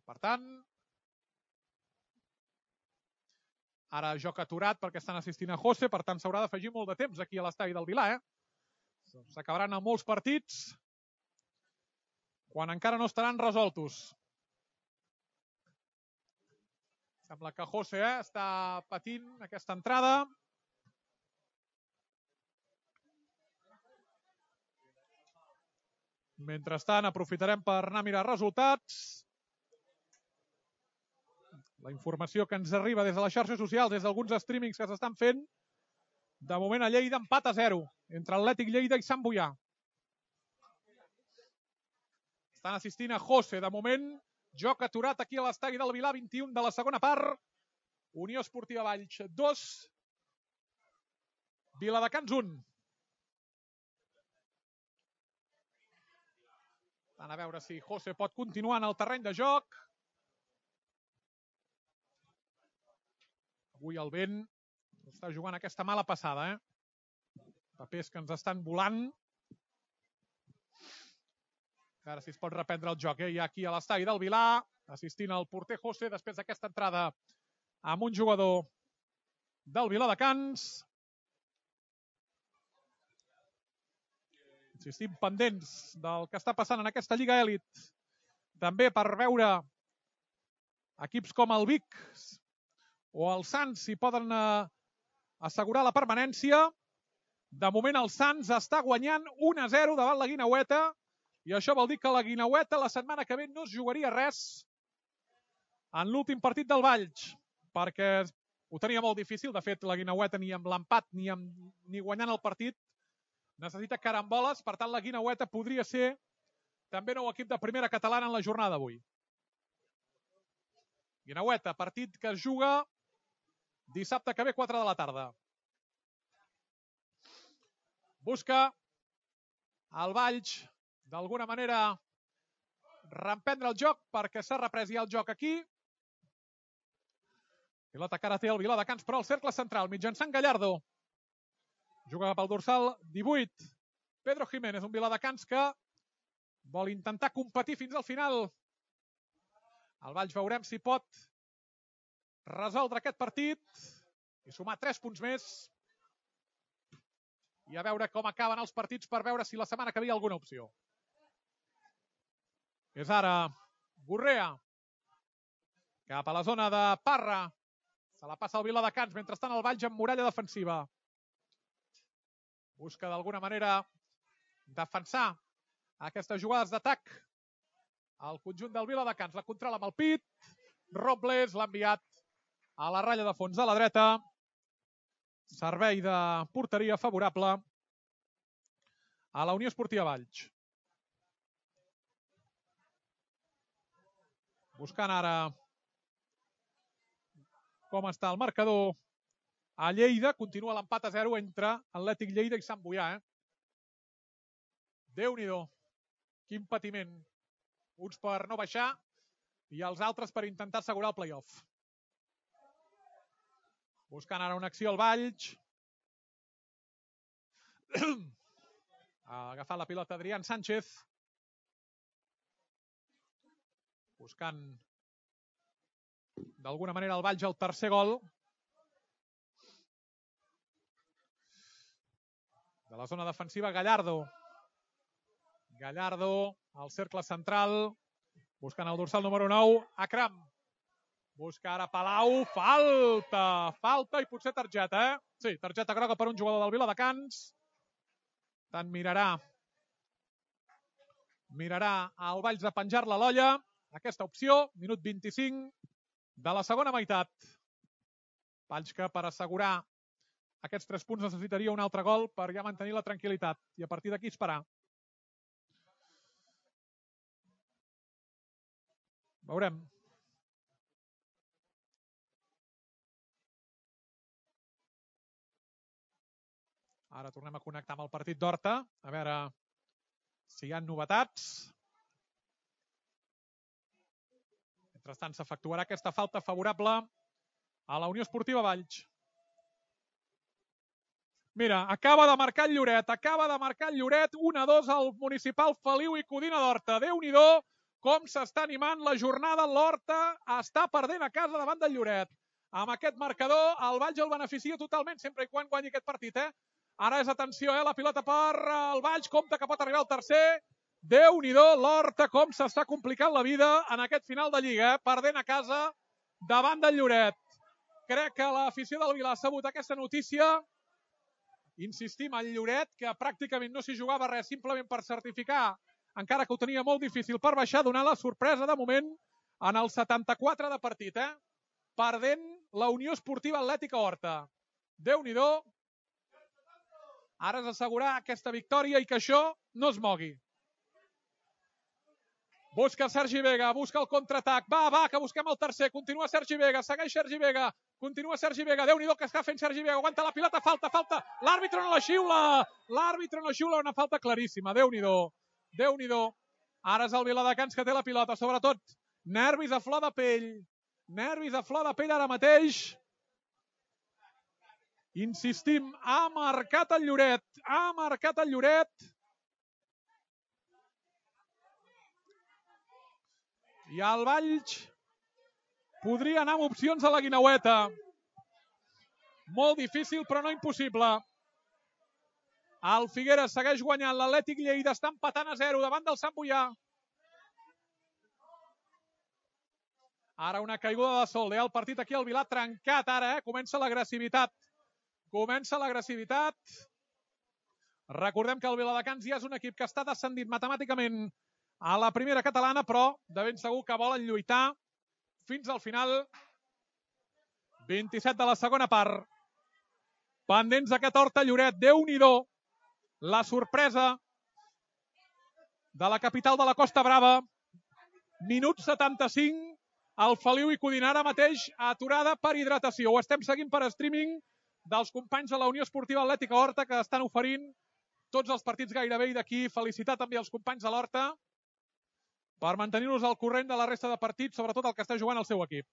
Per tant, ara joc aturat perquè estan assistint a José, per tant s'haurà d'afegir molt de temps aquí a l'estadi del Vilà. S'acabaran amb molts partits quan encara no estaran resoltos. Sembla que José està patint aquesta entrada. Mentrestant, aprofitarem per anar a mirar resultats. La informació que ens arriba des de les xarxes socials, des d'alguns streamings que s'estan fent, de moment a Lleida empat a 0 entre Atlètic Lleida i Sant Boià. Estan assistint a José, de moment, joc aturat aquí a l'estadi del Vilà, 21 de la segona part. Unió Esportiva Valls 2, Viladecans 1. A veure si José pot continuar en el terreny de joc. Avui el vent està jugant aquesta mala passada. Papers que ens estan volant. A veure si es pot reprendre el joc. Ja aquí a l'estadi del Vilà, assistint al porter José després d'aquesta entrada amb un jugador del Viladecans. Insistim, pendents del que està passant en aquesta Lliga Elit. També per veure equips com el Vic o el Sants si poden assegurar la permanència. De moment el Sants està guanyant 1-0 davant la Guineueta i això vol dir que la Guineueta la setmana que ve no es jugaria res en l'últim partit del Valls, perquè ho tenia molt difícil. De fet, la Guineueta ni amb l'empat ni guanyant el partit necessita caramboles. Per tant, la Guineueta podria ser també nou equip de primera catalana en la jornada d'avui. Guineueta, partit que es juga dissabte que ve, 4 de la tarda. Busca el Valls, d'alguna manera, reprendre el joc perquè s'ha reprès ja el joc aquí. Pilota que ara té el Viladecans, però al cercle central, mitjançant Gallardo. Juga cap al dorsal 18. Pedro Jiménez, un Viladecans que vol intentar competir fins al final. El Valls veurem si pot resoldre aquest partit i sumar 3 punts més i a veure com acaben els partits per veure si la setmana que ve hi ha alguna opció. És ara Gurrea cap a la zona de Parra. Se la passa el Viladecans, mentrestant el Valls amb muralla defensiva. Busca d'alguna manera defensar aquestes jugades d'atac al conjunt del Viladecans. La controla amb el pit. Robles l'ha enviat a la ratlla de fons de la dreta. Servei de porteria favorable a la Unió Esportiva Valls. Buscant ara com està el marcador a Lleida. Continua l'empat a 0 entre Atlètic Lleida i Sant Boià. Déu-n'hi-do, quin patiment. Uns per no baixar i els altres per intentar assegurar el play-off. Buscant ara una acció al Valls. Ha agafat la pilota Adrián Sánchez. Buscant d'alguna manera el Valls el tercer gol. De la zona defensiva, Gallardo. Gallardo al cercle central. Buscant el dorsal número 9, Akram. Busca ara Palau. Falta i potser targeta, Sí, targeta groga per un jugador del Viladecans. Tant mirarà el Valls de penjar-la a l'olla. Aquesta opció, minut 25 de la segona meitat. Valls que per assegurar aquests 3 punts necessitaria un altre gol per ja mantenir la tranquil·litat i a partir d'aquí esperar. Veurem. Ara tornem a connectar amb el partit d'Horta, a veure si hi ha novetats. Mentrestant s'efectuarà aquesta falta favorable a la Unió Esportiva Valls. Mira, acaba de marcar el Lloret, 1-2 al municipal Feliu i Codina d'Horta. Déu-n'hi-do com s'està animant la jornada. L'Horta està perdent a casa davant del Lloret. Amb aquest marcador el Valls el beneficia totalment sempre i quan guanyi aquest partit. Ara és atenció, la pilota per el Valls, compte que pot arribar el tercer. Déu-n'hi-do, l'Horta com s'està complicant la vida en aquest final de Lliga, perdent a casa davant del Lloret. Crec que l'afició del Vila ha sabut aquesta notícia. Insistim, el Lloret, que pràcticament no s'hi jugava res, simplement per certificar, encara que ho tenia molt difícil per baixar, donar la sorpresa de moment en el 74 de partit. Perdent la Unió Esportiva Atlètica Horta. Déu-n'hi-do. Ara és assegurar aquesta victòria i que això no es mogui. Busca Sergi Vega, busca el contraatac. Va, que busquem el tercer. Continua Sergi Vega, segueix Sergi Vega. Continua Sergi Vega, Déu-n'hi-do que està fent Sergi Vega. Aguanta la pilota, falta. L'àrbitre no la xiula. Una falta claríssima, Déu-n'hi-do. Ara és el Viladecans que té la pilota, sobretot. Nervis a flor de pell ara mateix. Insistim, ha marcat el Lloret. I el Valls podria anar amb opcions a la Guineueta. Molt difícil, però no impossible. El Figueres segueix guanyant, l'Atlètic Lleida està empatant a 0 davant del Sant Boià. Ara una caiguda de sol, el partit aquí al Vilà trencat ara, comença l'agressivitat. Recordem que el Viladecans ja és un equip que està descendit matemàticament a la primera catalana, però de ben segur que volen lluitar fins al final. 27 de la segona part. Pendents d'aquest Horta Lloret. Déu-n'hi-do la sorpresa de la capital de la Costa Brava. Minut 75. El Feliu i Codina ara mateix aturada per hidratació. Ho estem seguint per streaming dels companys de la Unió Esportiva Atlètica Horta que estan oferint tots els partits gairebé i d'aquí felicitar també els companys de l'Horta per mantenir-nos al corrent de la resta de partits, sobretot el que està jugant el seu equip.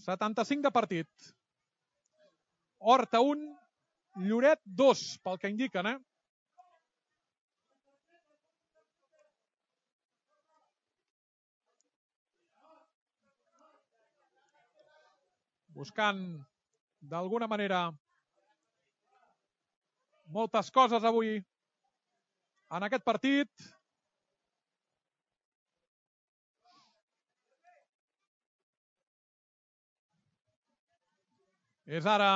75 de partit. Horta 1, Lloret 2, pel que indiquen, Buscant, d'alguna manera, moltes coses avui en aquest partit. És ara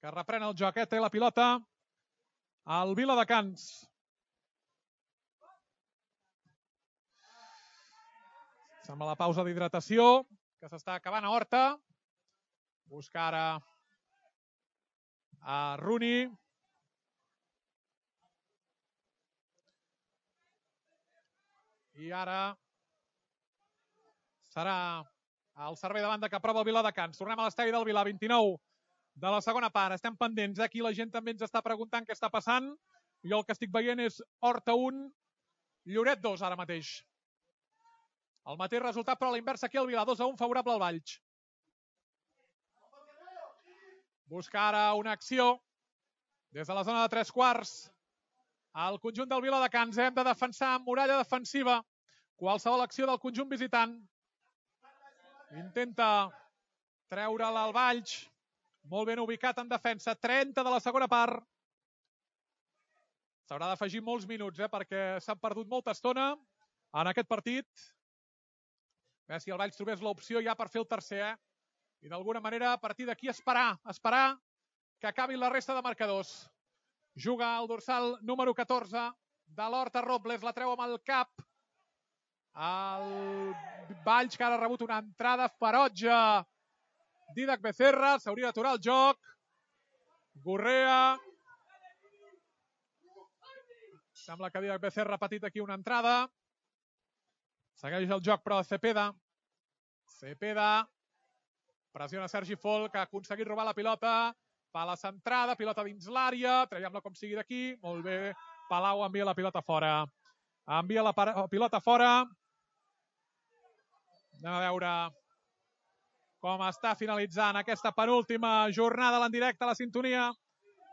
que reprèn el joc, té la pilota al Viladecans. Sembla la pausa d'hidratació que s'està acabant a Horta. Busca ara a Rooney. I ara serà el servei de banda que aprova el Viladecans. Tornem a l'estadi del Vilà, 29 de la segona part. Estem pendents. Aquí la gent també ens està preguntant què està passant. Jo el que estic veient és Horta 1, Lloret 2 ara mateix. El mateix resultat, però a l'inversa aquí al Vilà, 2-1 favorable al Valls. Busca ara una acció des de la zona de 3/4. El conjunt del Viladecans hem de defensar amb muralla defensiva qualsevol acció del conjunt visitant. Intenta treure-la al Valls. Molt ben ubicat en defensa. 30 de la segona part. S'haurà d'afegir molts minuts, perquè s'han perdut molta estona en aquest partit. A veure si el Valls trobés l'opció ja per fer el tercer. I d'alguna manera, a partir d'aquí, esperar que acabin la resta de marcadors. Juga el dorsal número 14 de l'Horta, Robles. La treu amb el cap. El Valls, que ara ha rebut una entrada ferotge Didac Becerra. S'hauria d'aturar el joc. Gurrea. Sembla que Didac Becerra ha patit aquí una entrada. Segueix el joc, però Cepeda. Cepeda. Pressiona Sergi Folk, que ha aconseguit robar la pilota. Fa la centrada, pilota dins l'àrea. Traiem-la com sigui d'aquí. Molt bé. Palau envia la pilota fora. Envia la pilota fora. Anem a veure com està finalitzant aquesta penúltima jornada en directe a la sintonia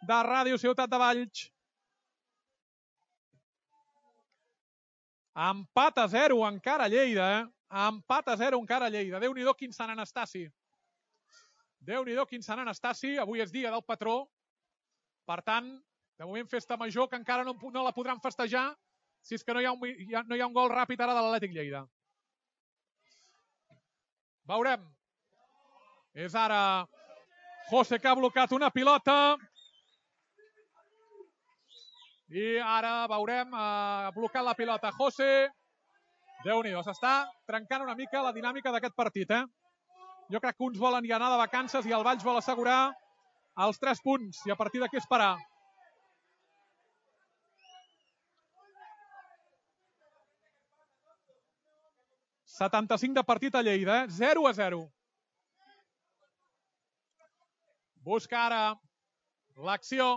de Ràdio Ciutat de Valls. Empat a 0 encara a Lleida, Empat a 0 encara a Lleida. Déu-n'hi-do quin Sant Anastasi. Déu-n'hi-do quin Sant Anastasi. Avui és dia del patró. Per tant, de moment festa major, que encara no la podran festejar si és que no hi ha un gol ràpid ara de l'Atlètic Lleida. Veurem. És ara José, que ha blocat una pilota. I ara veurem, ha blocat la pilota José. Déu-n'hi-do, s'està trencant una mica la dinàmica d'aquest partit. Jo crec que uns volen ja anar de vacances i el Valls vol assegurar els 3 punts i a partir d'aquí esperar. ...75 de partit a Lleida, 0-0. Busca ara l'acció.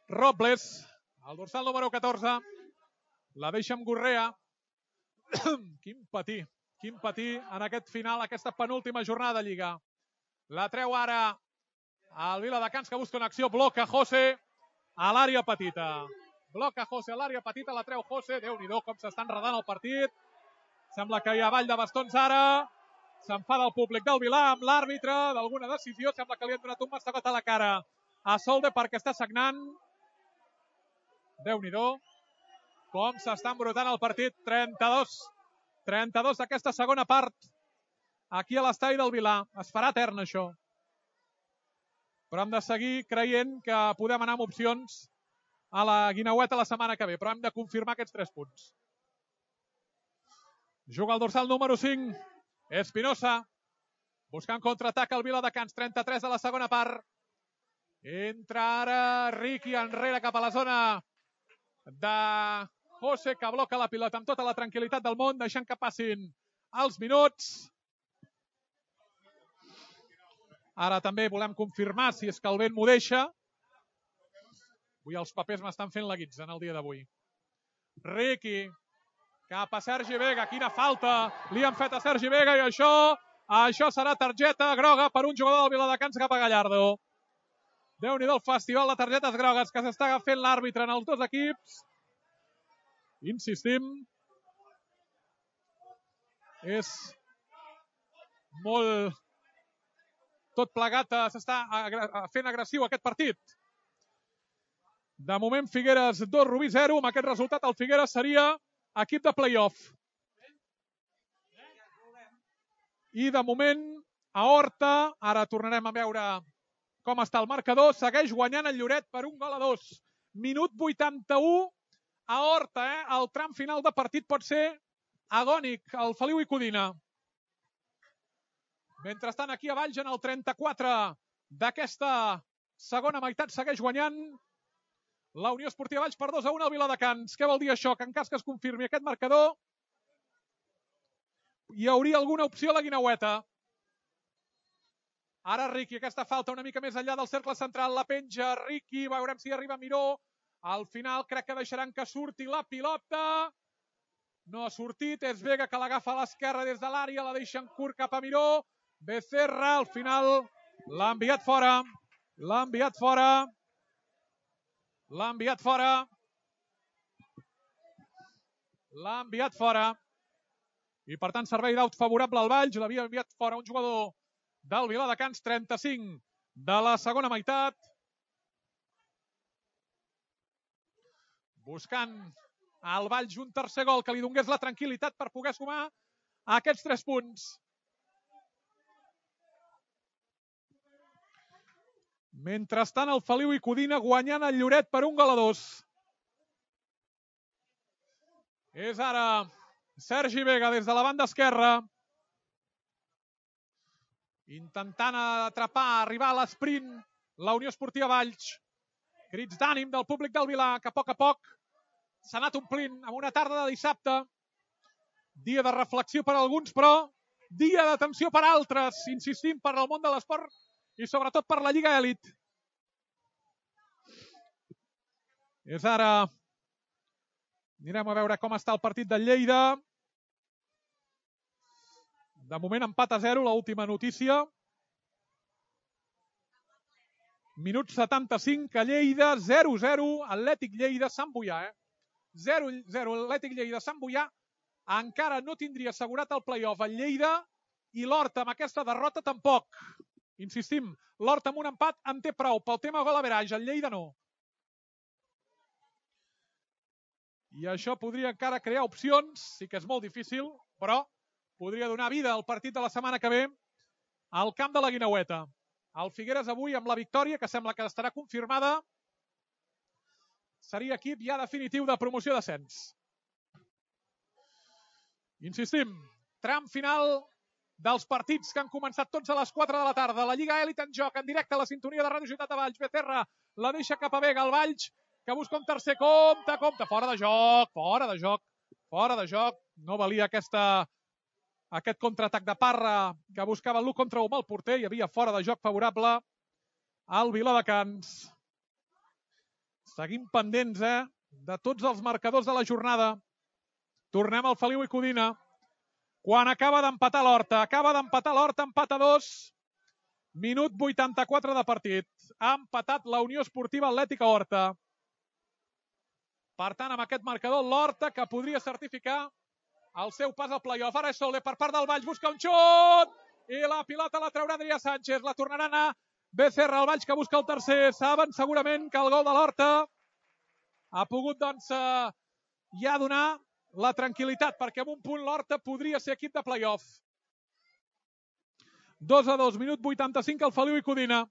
Robles, el dorsal número 14. La deixa amb Gurrea. Quin patir en aquest final, aquesta penúltima jornada de Lliga. La treu ara el Viladecans, que busca una acció. Bloca José a l'àrea petita. Bloca José a l'àrea petita, la treu José. Déu-n'hi-do com s'està enredant el partit. Sembla que hi ha ball de bastons ara. S'enfada el públic del Vilà amb l'àrbitre d'alguna decisió. Sembla que li han donat un mastegot a la cara a Solde perquè està sagnant. Déu-n'hi-do com s'està embrutant el partit. 32 d'aquesta segona part aquí a l'estadi del Vilà. Es farà etern això. Però hem de seguir creient que podem anar amb opcions a la Guineueta la setmana que ve, però hem de confirmar aquests 3 punts. Juga el dorsal número 5, Espinosa, buscant contraatac al Viladecans, 33 de la segona part. Entra ara Riqui enrere cap a la zona de José, que bloca la pilota amb tota la tranquil·litat del món, deixant que passin els minuts. Ara també volem confirmar si és que el vent m'ho deixa. Avui els papers m'estan fent la guitza en el dia d'avui. Riqui, cap a Sergi Vega. Quina falta li han fet a Sergi Vega, i això serà targeta groga per un jugador del Viladecans cap a Gallardo. Déu-n'hi-do el festival de targetes grogues que s'està fent l'àrbitre en els dos equips. Insistim. És molt... Tot plegat s'està fent agressiu aquest partit. De moment, Figueres 2, Rubí 0. Amb aquest resultat, el Figueres seria equip de play-off. I de moment, a Horta, ara tornarem a veure com està el marcador, segueix guanyant el Lloret per 1-2. Minut 81 a Horta. El tram final de partit pot ser agònic el Feliu i Codina. Mentrestant, aquí a Valls, en el 34 d'aquesta segona meitat, segueix guanyant la Unió Esportiva Valls per 2-1 al Viladecans. Què vol dir això? Que en cas que es confirmi aquest marcador, hi hauria alguna opció a la Guineueta. Ara Riqui, aquesta falta una mica més enllà del cercle central, la penja Riqui, veurem si arriba Miró. Al final crec que deixaran que surti la pilota. No ha sortit, és Vega que l'agafa a l'esquerra des de l'àrea, la deixen curt cap a Miró. Becerra, al final, l'ha enviat fora. L'ha enviat fora. L'ha enviat fora. L'ha enviat fora. I per tant, servei d'aut favorable al Valls. L'havia enviat fora un jugador del Viladecans, 35 de la segona meitat. Buscant al Valls un tercer gol que li donés la tranquil·litat per poder sumar aquests 3 punts. Mentrestant, el Feliu i Codina guanyant el Lloret per 1-2. És ara Sergi Vega des de la banda esquerra, intentant atrapar, arribar a l'esprint la Unió Esportiva Valls. Crits d'ànim del públic del Vilà, que a poc s'ha anat omplint amb una tarda de dissabte. Dia de reflexió per a alguns, però dia d'atenció per a altres. Insistim, per al món de l'esport i sobretot per la Lliga Elit. És ara... Anirem a veure com està el partit del Lleida. De moment empat a 0, l'última notícia. Minut 75 a Lleida, 0-0, Atlètic Lleida, Sant Boià. 0-0, Atlètic Lleida, Sant Boià. Encara no tindria assegurat el play-off el Lleida i l'Horta amb aquesta derrota tampoc. Insistim, l'Horta amb un empat en té prou pel tema gol average, el Lleida no. I això podria encara crear opcions, sí que és molt difícil, però podria donar vida al partit de la setmana que ve al camp de la Guineueta. El Figueres avui amb la victòria, que sembla que estarà confirmada, seria equip ja definitiu de promoció d'ascens. Insistim, tram final dels partits que han començat tots a les 4 de la tarda. La Lliga Elit en joc, en directe a la sintonia de Ràdio Ciutat de Valls. Becerra la deixa cap a Vega, el Valls, que busca un tercer compte. Fora de joc. No valia aquest contraatac de Parra que buscava l'1 contra 1 amb el porter. Hi havia fora de joc favorable al Viladecans. Seguim pendents, de tots els marcadors de la jornada. Tornem al Feliu i Codina. Quan acaba d'empatar l'Horta. Empat a 2. Minut 84 de partit. Ha empatat la Unió Esportiva Atlètica Horta. Per tant, amb aquest marcador, l'Horta, que podria certificar el seu pas al play-off. Ara és Soler per part del Valls, busca un xut! I la pilota la traurà Adrià Sánchez. La tornarà a anar Becerra, el Valls, que busca el tercer. Saben segurament que el gol de l'Horta ha pogut, doncs, ja donar la tranquil·litat, perquè amb un punt l'Horta podria ser equip de play-off. 2-2, minut 85, el Feliu i Codina.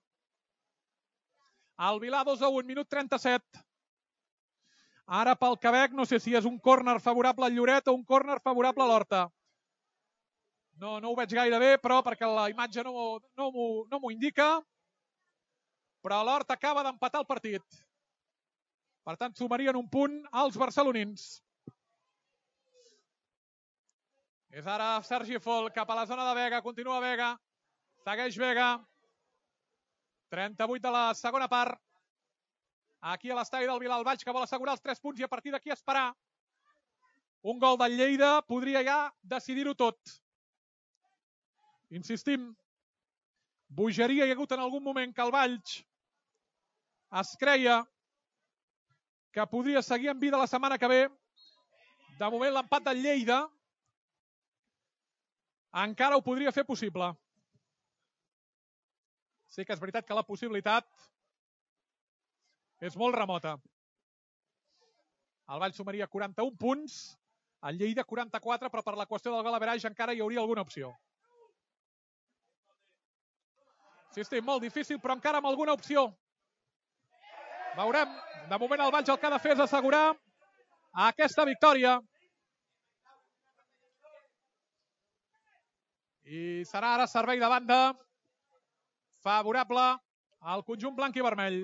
El Vilà 2-1, minut 37. Ara pel Quebec, no sé si és un córner favorable al Lloret o un córner favorable a l'Horta. No ho veig gaire bé, però perquè la imatge no m'ho indica. Però l'Horta acaba d'empatar el partit. Per tant, sumarien un punt als barcelonins. És ara Sergi Fol cap a la zona de Vega. Continua Vega. Segueix Vega. 38 de la segona part. Aquí a l'estadi del Vilà, el Valls, que vol assegurar els 3 punts i a partir d'aquí esperar. Un gol del Lleida podria ja decidir-ho tot. Insistim, bogeria hi ha hagut en algun moment que el Valls es creia que podria seguir en vida la setmana que ve. De moment l'empat del Lleida encara ho podria fer possible. Sí que és veritat que la possibilitat és molt remota. El Valls sumaria 41 punts, el Lleida 44, però per la qüestió del gol average encara hi hauria alguna opció. Sí, molt difícil, però encara amb alguna opció. Veurem. De moment el Valls el que ha de fer és assegurar aquesta victòria. I serà ara servei de banda favorable al conjunt blanc i vermell.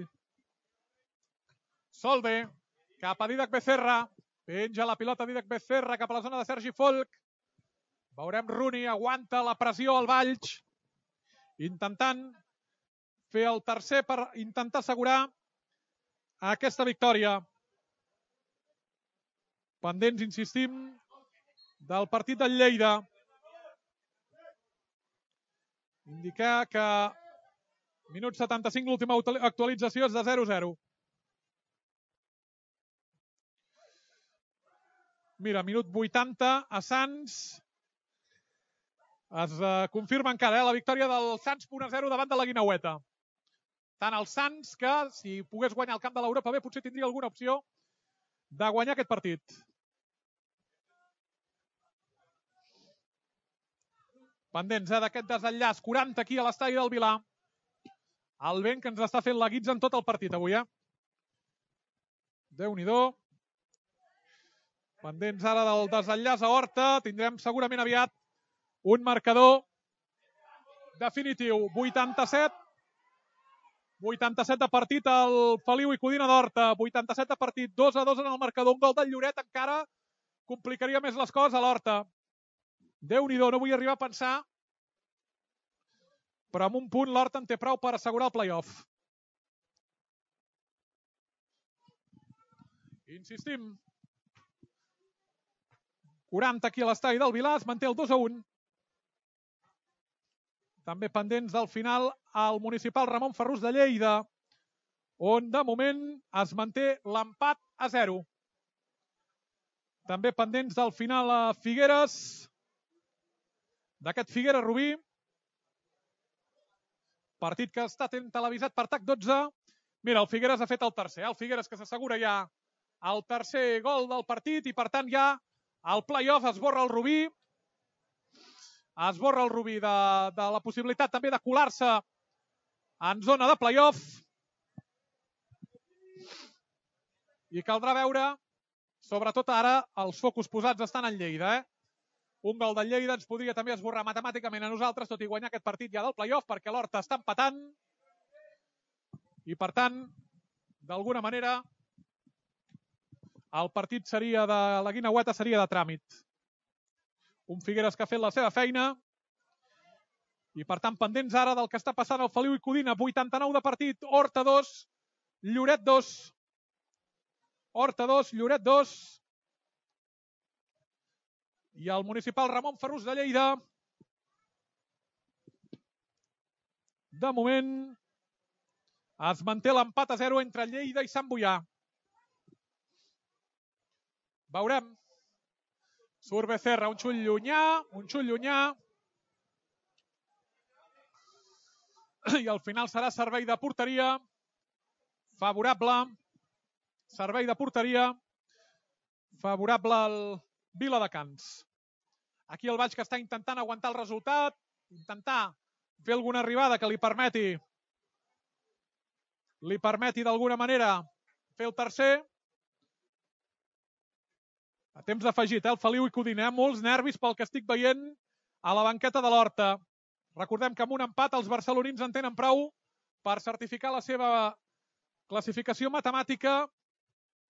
Solve, cap a Dídac Becerra. Penja la pilota Dídac Becerra cap a la zona de Sergi Folk. Veurem Rooney, aguanta la pressió al Valls, intentant fer el tercer per intentar assegurar aquesta victòria. Pendents, insistim, del partit del Lleida. Indicar que minut 75, l'última actualització és de 0-0. Mira, minut 80 a Sants. Es confirma encara la victòria del Sants 1-0 davant de la Guineueta. Tant el Sants que, si pogués guanyar el camp de l'Europa B, potser tindria alguna opció de guanyar aquest partit. Pendents d'aquest desenllaç, 40 aquí a l'estadi del Vilar. El vent que ens està fent la guitza en tot el partit avui, Déu-n'hi-do. Pendents ara del desenllaç a Horta. Tindrem segurament aviat un marcador definitiu. 87 de partit al Feliu i Codina d'Horta. 87 de partit, 2-2 en el marcador. Un gol del Lloret encara complicaria més les coses a l'Horta. Déu-n'hi-do, no vull arribar a pensar, però amb un punt l'Horta en té prou per assegurar el play-off. Insistim. 40 aquí a l'estadi del Vilar, es manté el 2-1. També pendents del final al municipal Ramon Ferrús de Lleida, on de moment es manté l'empat a 0. També pendents del final a Figueres, d'aquest Figueres-Rubí, partit que està televisat per TAC 12. Mira, el Figueres ha fet el tercer. El Figueres que s'assegura ja el tercer gol del partit i per tant ja el play-off esborra el Rubí. Esborra el Rubí de la possibilitat també de colar-se en zona de play-off. I caldrà veure, sobretot ara, els focus posats estan en Lleida. Un gol del Lleida ens podria també esborrar matemàticament a nosaltres, tot i guanyar aquest partit ja del play-off, perquè l'Horta està empatant. I per tant, d'alguna manera, el partit seria de la Guineueta seria de tràmit. Un Figueres que ha fet la seva feina i per tant pendents ara del que està passant al Feliu i Codina. 89 de partit, Horta 2, Lloret 2. Horta 2, Lloret 2. I el municipal Ramon Ferrús de Lleida, de moment, es manté l'empat a 0 entre Lleida i Sant Boià. Veurem. Surt Becerra, un xull llunyà. I al final serà servei de porteria favorable. Servei de porteria favorable al Viladecans. Aquí el Valls que està intentant aguantar el resultat, intentar fer alguna arribada que li permeti d'alguna manera fer el tercer. A temps afegit, el Feliu i Codina. Molts nervis pel que estic veient a la banqueta de l'Horta. Recordem que amb un empat els barcelonins en tenen prou per certificar la seva classificació matemàtica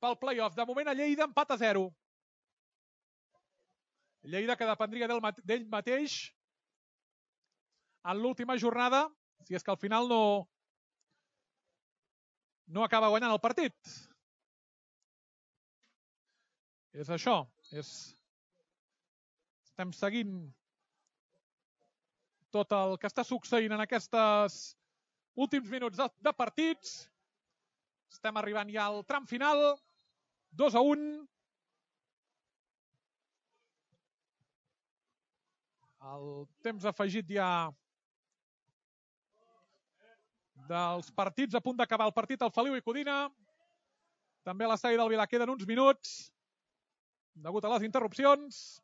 pel play-off. De moment a Lleida empat a 0. Lleida que dependria d'ell mateix en l'última jornada, si és que al final no acaba guanyant el partit. És això. Estem seguint tot el que està succeint en aquests últims minuts de partits. Estem arribant ja al tram final. 2-1. El temps afegit ja dels partits, a punt d'acabar el partit al Feliu i Codina. També a l'estadi del Vilar queden uns minuts degut a les interrupcions.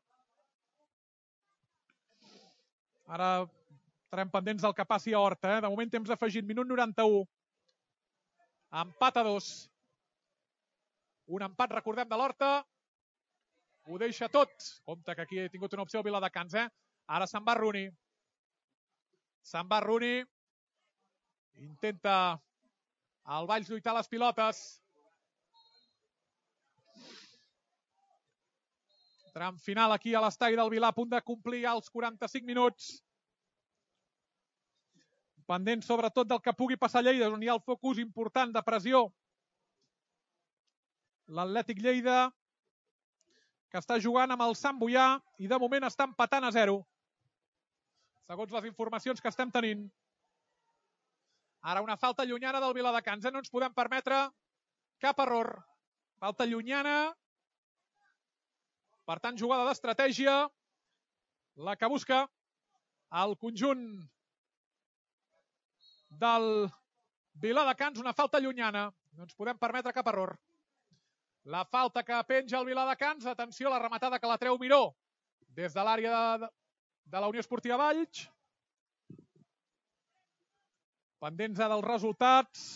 Ara estarem pendents del que passi a Horta. De moment temps afegit, minut 91. Empat a 2. Un empat, recordem, de l'Horta. Ho deixa tot. Compte que aquí he tingut una opció al Viladecans. Ara se'n va Rooney. Se'n va Rooney. Intenta el Valls lluitar les pilotes. Tram final aquí a l'estadi del Vilar, a punt de complir els 45 minuts. Pendent sobretot del que pugui passar a Lleida, on hi ha el focus important de pressió. L'Atlètic Lleida, que està jugant amb el Sant Boià i de moment està empatant a 0. Segons les informacions que estem tenint. Ara una falta llunyana del Viladecans. No ens podem permetre cap error. Falta llunyana. Per tant, jugada d'estratègia. La que busca el conjunt del Viladecans. Una falta llunyana. No ens podem permetre cap error. La falta que penja el Viladecans. Atenció a la rematada que la treu Miró des de l'àrea de la Unió Esportiva Valls. Pendents dels resultats.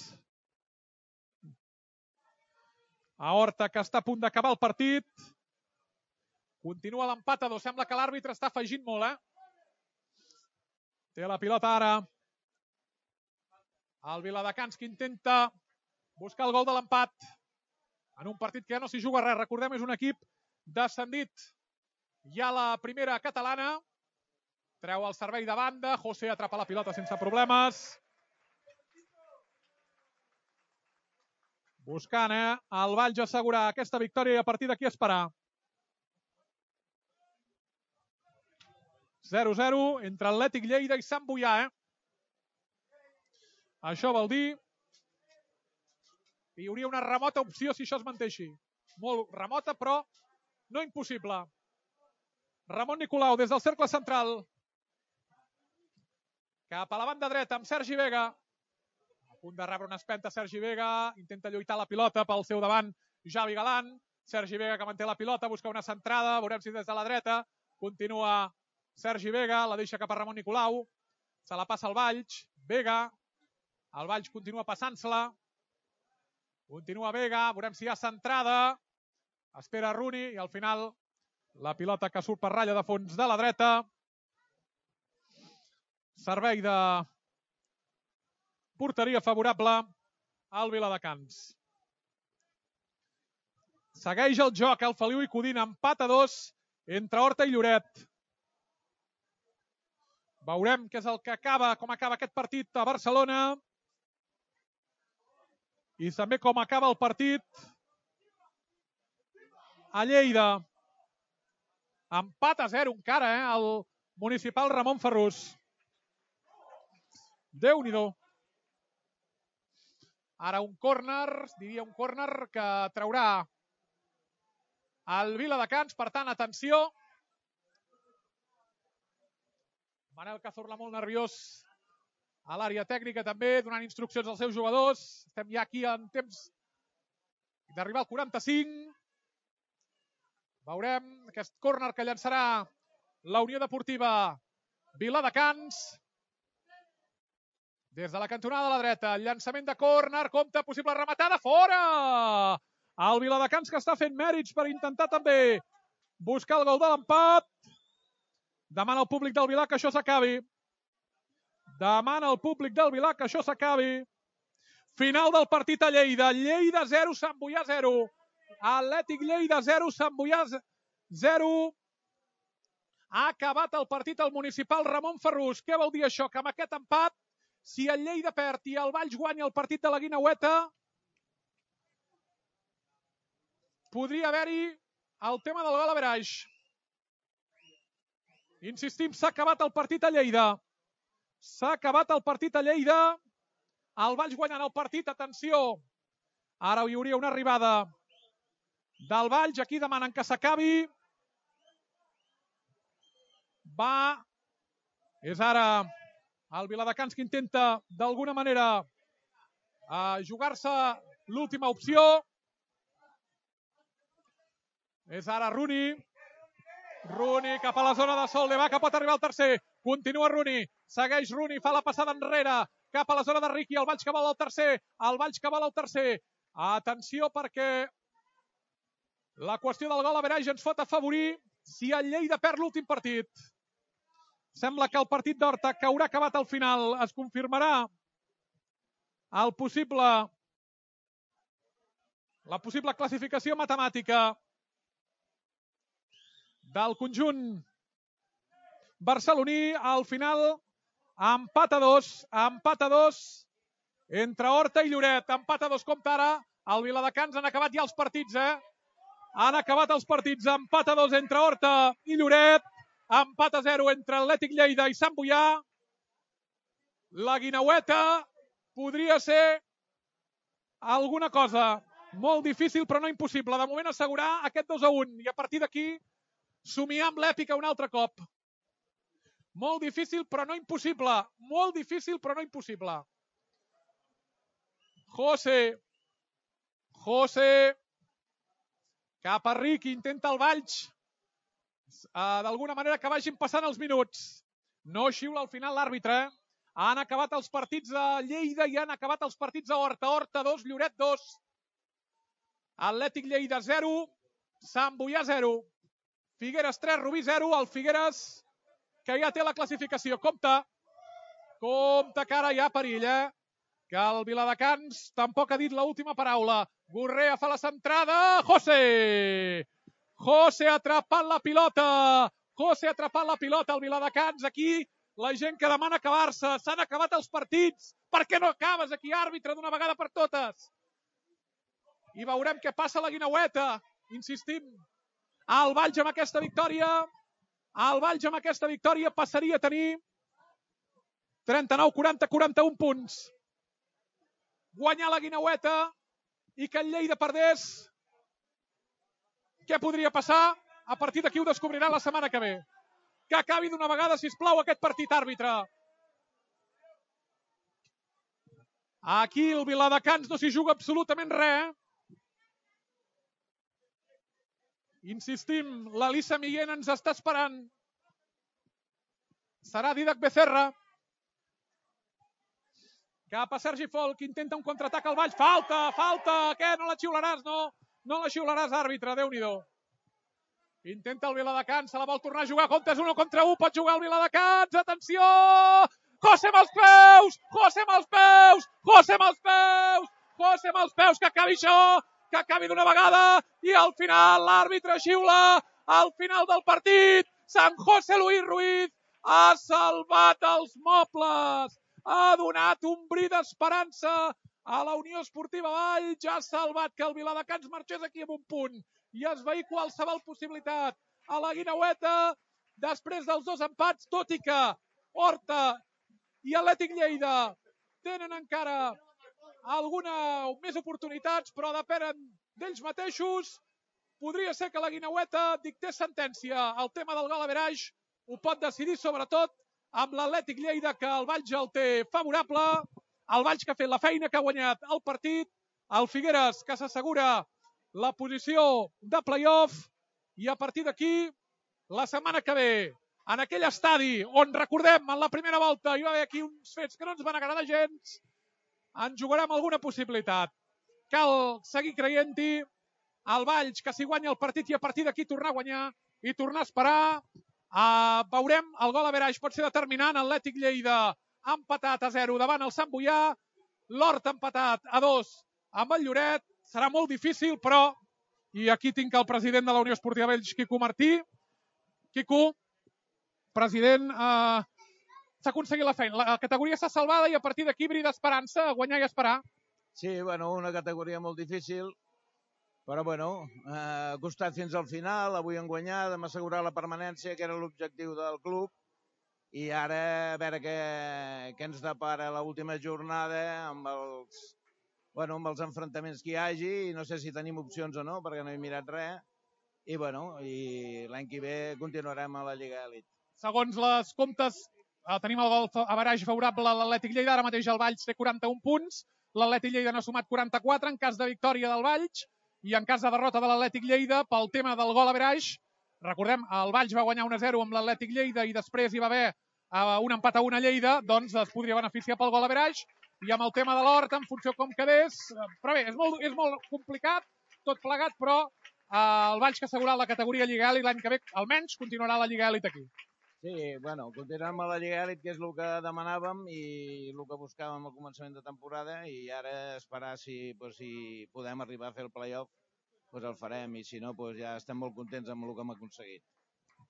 A Horta, que està a punt d'acabar el partit. Continua l'empat a 2. Sembla que l'àrbitre està afegint molt, Té la pilota ara el Viladecans, que intenta buscar el gol de l'empat en un partit que ja no s'hi juga res. Recordem, és un equip descendit ja a la primera catalana. Treu el servei de banda. José atrapa la pilota sense problemes. Buscant, el Valls assegurar aquesta victòria i a partir d'aquí esperar. 0-0 entre Atlètic Lleida i Sant Boià, Això vol dir que hi hauria una remota opció si això es manté així. Molt remota, però no impossible. Ramon Nicolau des del cercle central. Cap a la banda dreta amb Sergi Vega. A punt de rebre una espenta Sergi Vega. Intenta lluitar la pilota pel seu davant Javi Galán. Sergi Vega que manté la pilota, busca una centrada. Veurem si des de la dreta continua Sergi Vega. La deixa cap a Ramon Nicolau. Se la passa al Valls. Vega. El Valls continua passant-se-la. Continua Vega. Veurem si hi ha centrada. Espera Rooney i al final la pilota que surt per ratlla de fons de la dreta. Servei de porteria favorable al Viladecans. Segueix el joc el Feliu i Codina. Empat a 2 entre Horta i Lloret. Veurem què és el que acaba, com acaba aquest partit a Barcelona. I també com acaba el partit a Lleida. Empat a 0 encara, el municipal Ramon Ferrús. Déu-n'hi-do. Ara un córner, diria un córner que traurà el Viladecans. Per tant, atenció. Manel Cazorla molt nerviós a l'àrea tècnica també, donant instruccions als seus jugadors. Estem ja aquí en temps d'arribar al 45. Veurem aquest córner que llançarà la Unió Deportiva Viladecans. Des de la cantonada de la dreta, el llançament de córner, compte, possible rematada, fora! El Viladecans que està fent mèrits per intentar també buscar el gol de l'empat. Demana al públic del Vilar que això s'acabi. Demana al públic del Vilar que això s'acabi. Final del partit a Lleida. Lleida 0, Sant Boià 0. Atlètic Lleida 0, Sant Boià 0. Ha acabat el partit al municipal Ramon Ferrús. Què vol dir això? Que amb aquest empat, si el Lleida perd i el Valls guanya el partit de la Guineueta, podria haver-hi el tema del gol average. Insistim, s'ha acabat el partit a Lleida. S'ha acabat el partit a Lleida. El Valls guanyant el partit, atenció. Ara hi hauria una arribada del Valls. Aquí demanen que s'acabi. És ara el Viladecans que intenta d'alguna manera jugar-se l'última opció. És ara Rooney. Rooney cap a la zona de Solde, que pot arribar al tercer. Continua Rooney, segueix Rooney, fa la passada enrere, cap a la zona de Riqui, el Valls que vol al tercer, el Valls que vol al tercer. Atenció perquè la qüestió del gol average ens pot afavorir si el Lleida perd l'últim partit. Sembla que el partit d'Horta, que haurà acabat al final, es confirmarà la possible classificació matemàtica del conjunt barceloní. Al final, empat a dos entre Horta i Lloret. Empat a dos, compta ara. El Viladecans han acabat ja els partits, Han acabat els partits. Empat a dos entre Horta i Lloret. Empat a 0 entre Atlètic Lleida i Sant Boià. La Guineueta podria ser alguna cosa molt difícil però no impossible. De moment assegurar aquest 2-1 i a partir d'aquí somiar amb l'èpica un altre cop. Molt difícil però no impossible. Molt difícil però no impossible. José. Cap a Riqui, intenta el Valls. D'alguna manera que vagin passant els minuts. No xiula al final l'àrbitre. Han acabat els partits de Lleida i han acabat els partits de Horta. Horta 2, Lloret 2. Atlètic Lleida 0, Sant Boià 0. Figueres 3, Rubí 0. El Figueres, que ja té la classificació. Compte que ara hi ha perill, Que el Viladecans tampoc ha dit l'última paraula. Gurrea fa la centrada. José atrapant la pilota. El Viladecans aquí. La gent que demana acabar-se. S'han acabat els partits. Per què no acabes aquí, àrbitre, d'una vegada per totes? I veurem què passa a la Guineueta. Insistim. El Valls amb aquesta victòria passaria a tenir 39, 40, 41 punts. Guanyar la Guineueta i que el Lleida perdés. Què podria passar? A partir d'aquí ho descobrirà la setmana que ve. Que acabi d'una vegada, sisplau, aquest partit, àrbitre. Aquí el Viladecans no s'hi juga absolutament res. Insistim, l'Elisa Miguel ens està esperant. Serà Didac Becerra. Cap a Sergi Folk, intenta un contraatac al Valls. Falta! Què? No la xiularàs, no? No la xiularàs, àrbitre, Déu-n'hi-do. Intenta el Viladecans, se la vol tornar a jugar. Compte, és 1 contra 1, pot jugar el Viladecans. Atenció! José amb els peus! Que acabi això! Que acabi d'una vegada! I al final l'àrbitre xiula al final del partit. Sant José Luis Ruiz ha salvat els mobles. Ha donat un bri d'esperança a la Unió Esportiva Valls. Ja ha salvat que el Viladecans marxés aquí amb un punt i esvair qualsevol possibilitat a la Guineueta després dels dos empats, tot i que Horta i Atlètic Lleida tenen encara més oportunitats, però depenen d'ells mateixos. Podria ser que la Guineueta dictés sentència. El tema del gol average ho pot decidir sobretot amb l'Atlètic Lleida, que el Valls el té favorable. El Valls que ha fet la feina, que ha guanyat el partit. El Figueres, que s'assegura la posició de play-off. I a partir d'aquí, la setmana que ve, en aquell estadi on, recordem, en la primera volta hi va haver aquí uns fets que no ens van agradar gens, en jugarem alguna possibilitat. Cal seguir creient-hi. El Valls, que s'hi guanya el partit i a partir d'aquí tornar a guanyar i tornar a esperar. Veurem, el gol average pot ser determinant. Atlètic Lleida ha empatat a 0 davant el Sant Boià. L'Horta ha empatat a 2 amb el Lloret. Serà molt difícil, però, i aquí tinc el president de la Unió Esportiva Valls, Quico Martí. Quico, president, s'ha aconseguit la feina. La categoria s'ha salvada i a partir d'aquí bri d'esperança, guanyar i esperar. Sí, bueno, una categoria molt difícil, però bueno, ha costat fins al final. Avui hem guanyat, hem assegurat la permanència, que era l'objectiu del club, i ara a veure què ens depara l'última jornada amb els enfrontaments que hi hagi, i no sé si tenim opcions o no, perquè no he mirat res, i l'any que ve continuarem a la Lliga Elit. Segons les comptes, tenim el gol average favorable a l'Atlètic Lleida. Ara mateix el Valls té 41 punts, l'Atlètic Lleida n'ha sumat 44 en cas de victòria del Valls, i en cas de derrota de l'Atlètic Lleida pel tema del gol average. Recordem, el Valls va guanyar 1-0 amb l'Atlètic Lleida i després hi va haver un empat a 1 a Lleida, doncs es podria beneficiar pel gol average, i amb el tema de l'Horta, en funció com quedés. Però bé, és molt complicat, tot plegat, però el Valls, que ha assegurat la categoria Lliga Elit, l'any que ve almenys continuarà la Lliga Elit aquí. Sí, bueno, continuem a la Lliga Elit, que és el que demanàvem i el que buscàvem al començament de temporada, i ara esperar si podem arribar a fer el play-off, doncs el farem, i si no, ja estem molt contents amb el que hem aconseguit.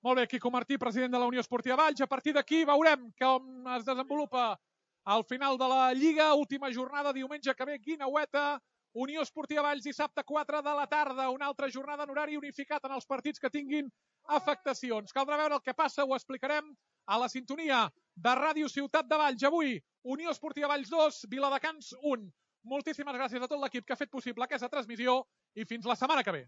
Molt bé, Quico Martí, president de la Unió Esportiva Valls. A partir d'aquí veurem com es desenvolupa al final de la Lliga. Última jornada, diumenge que ve, Guineueta, Unió Esportiva Valls, dissabte 4 de la tarda. Una altra jornada en horari unificat en els partits que tinguin afectacions. Caldrà veure el que passa, ho explicarem a la sintonia de Ràdio Ciutat de Valls. Avui, Unió Esportiva Valls 2, Viladecans 1. Moltíssimes gràcies a tot l'equip que ha fet possible aquesta transmissió i fins la setmana que ve.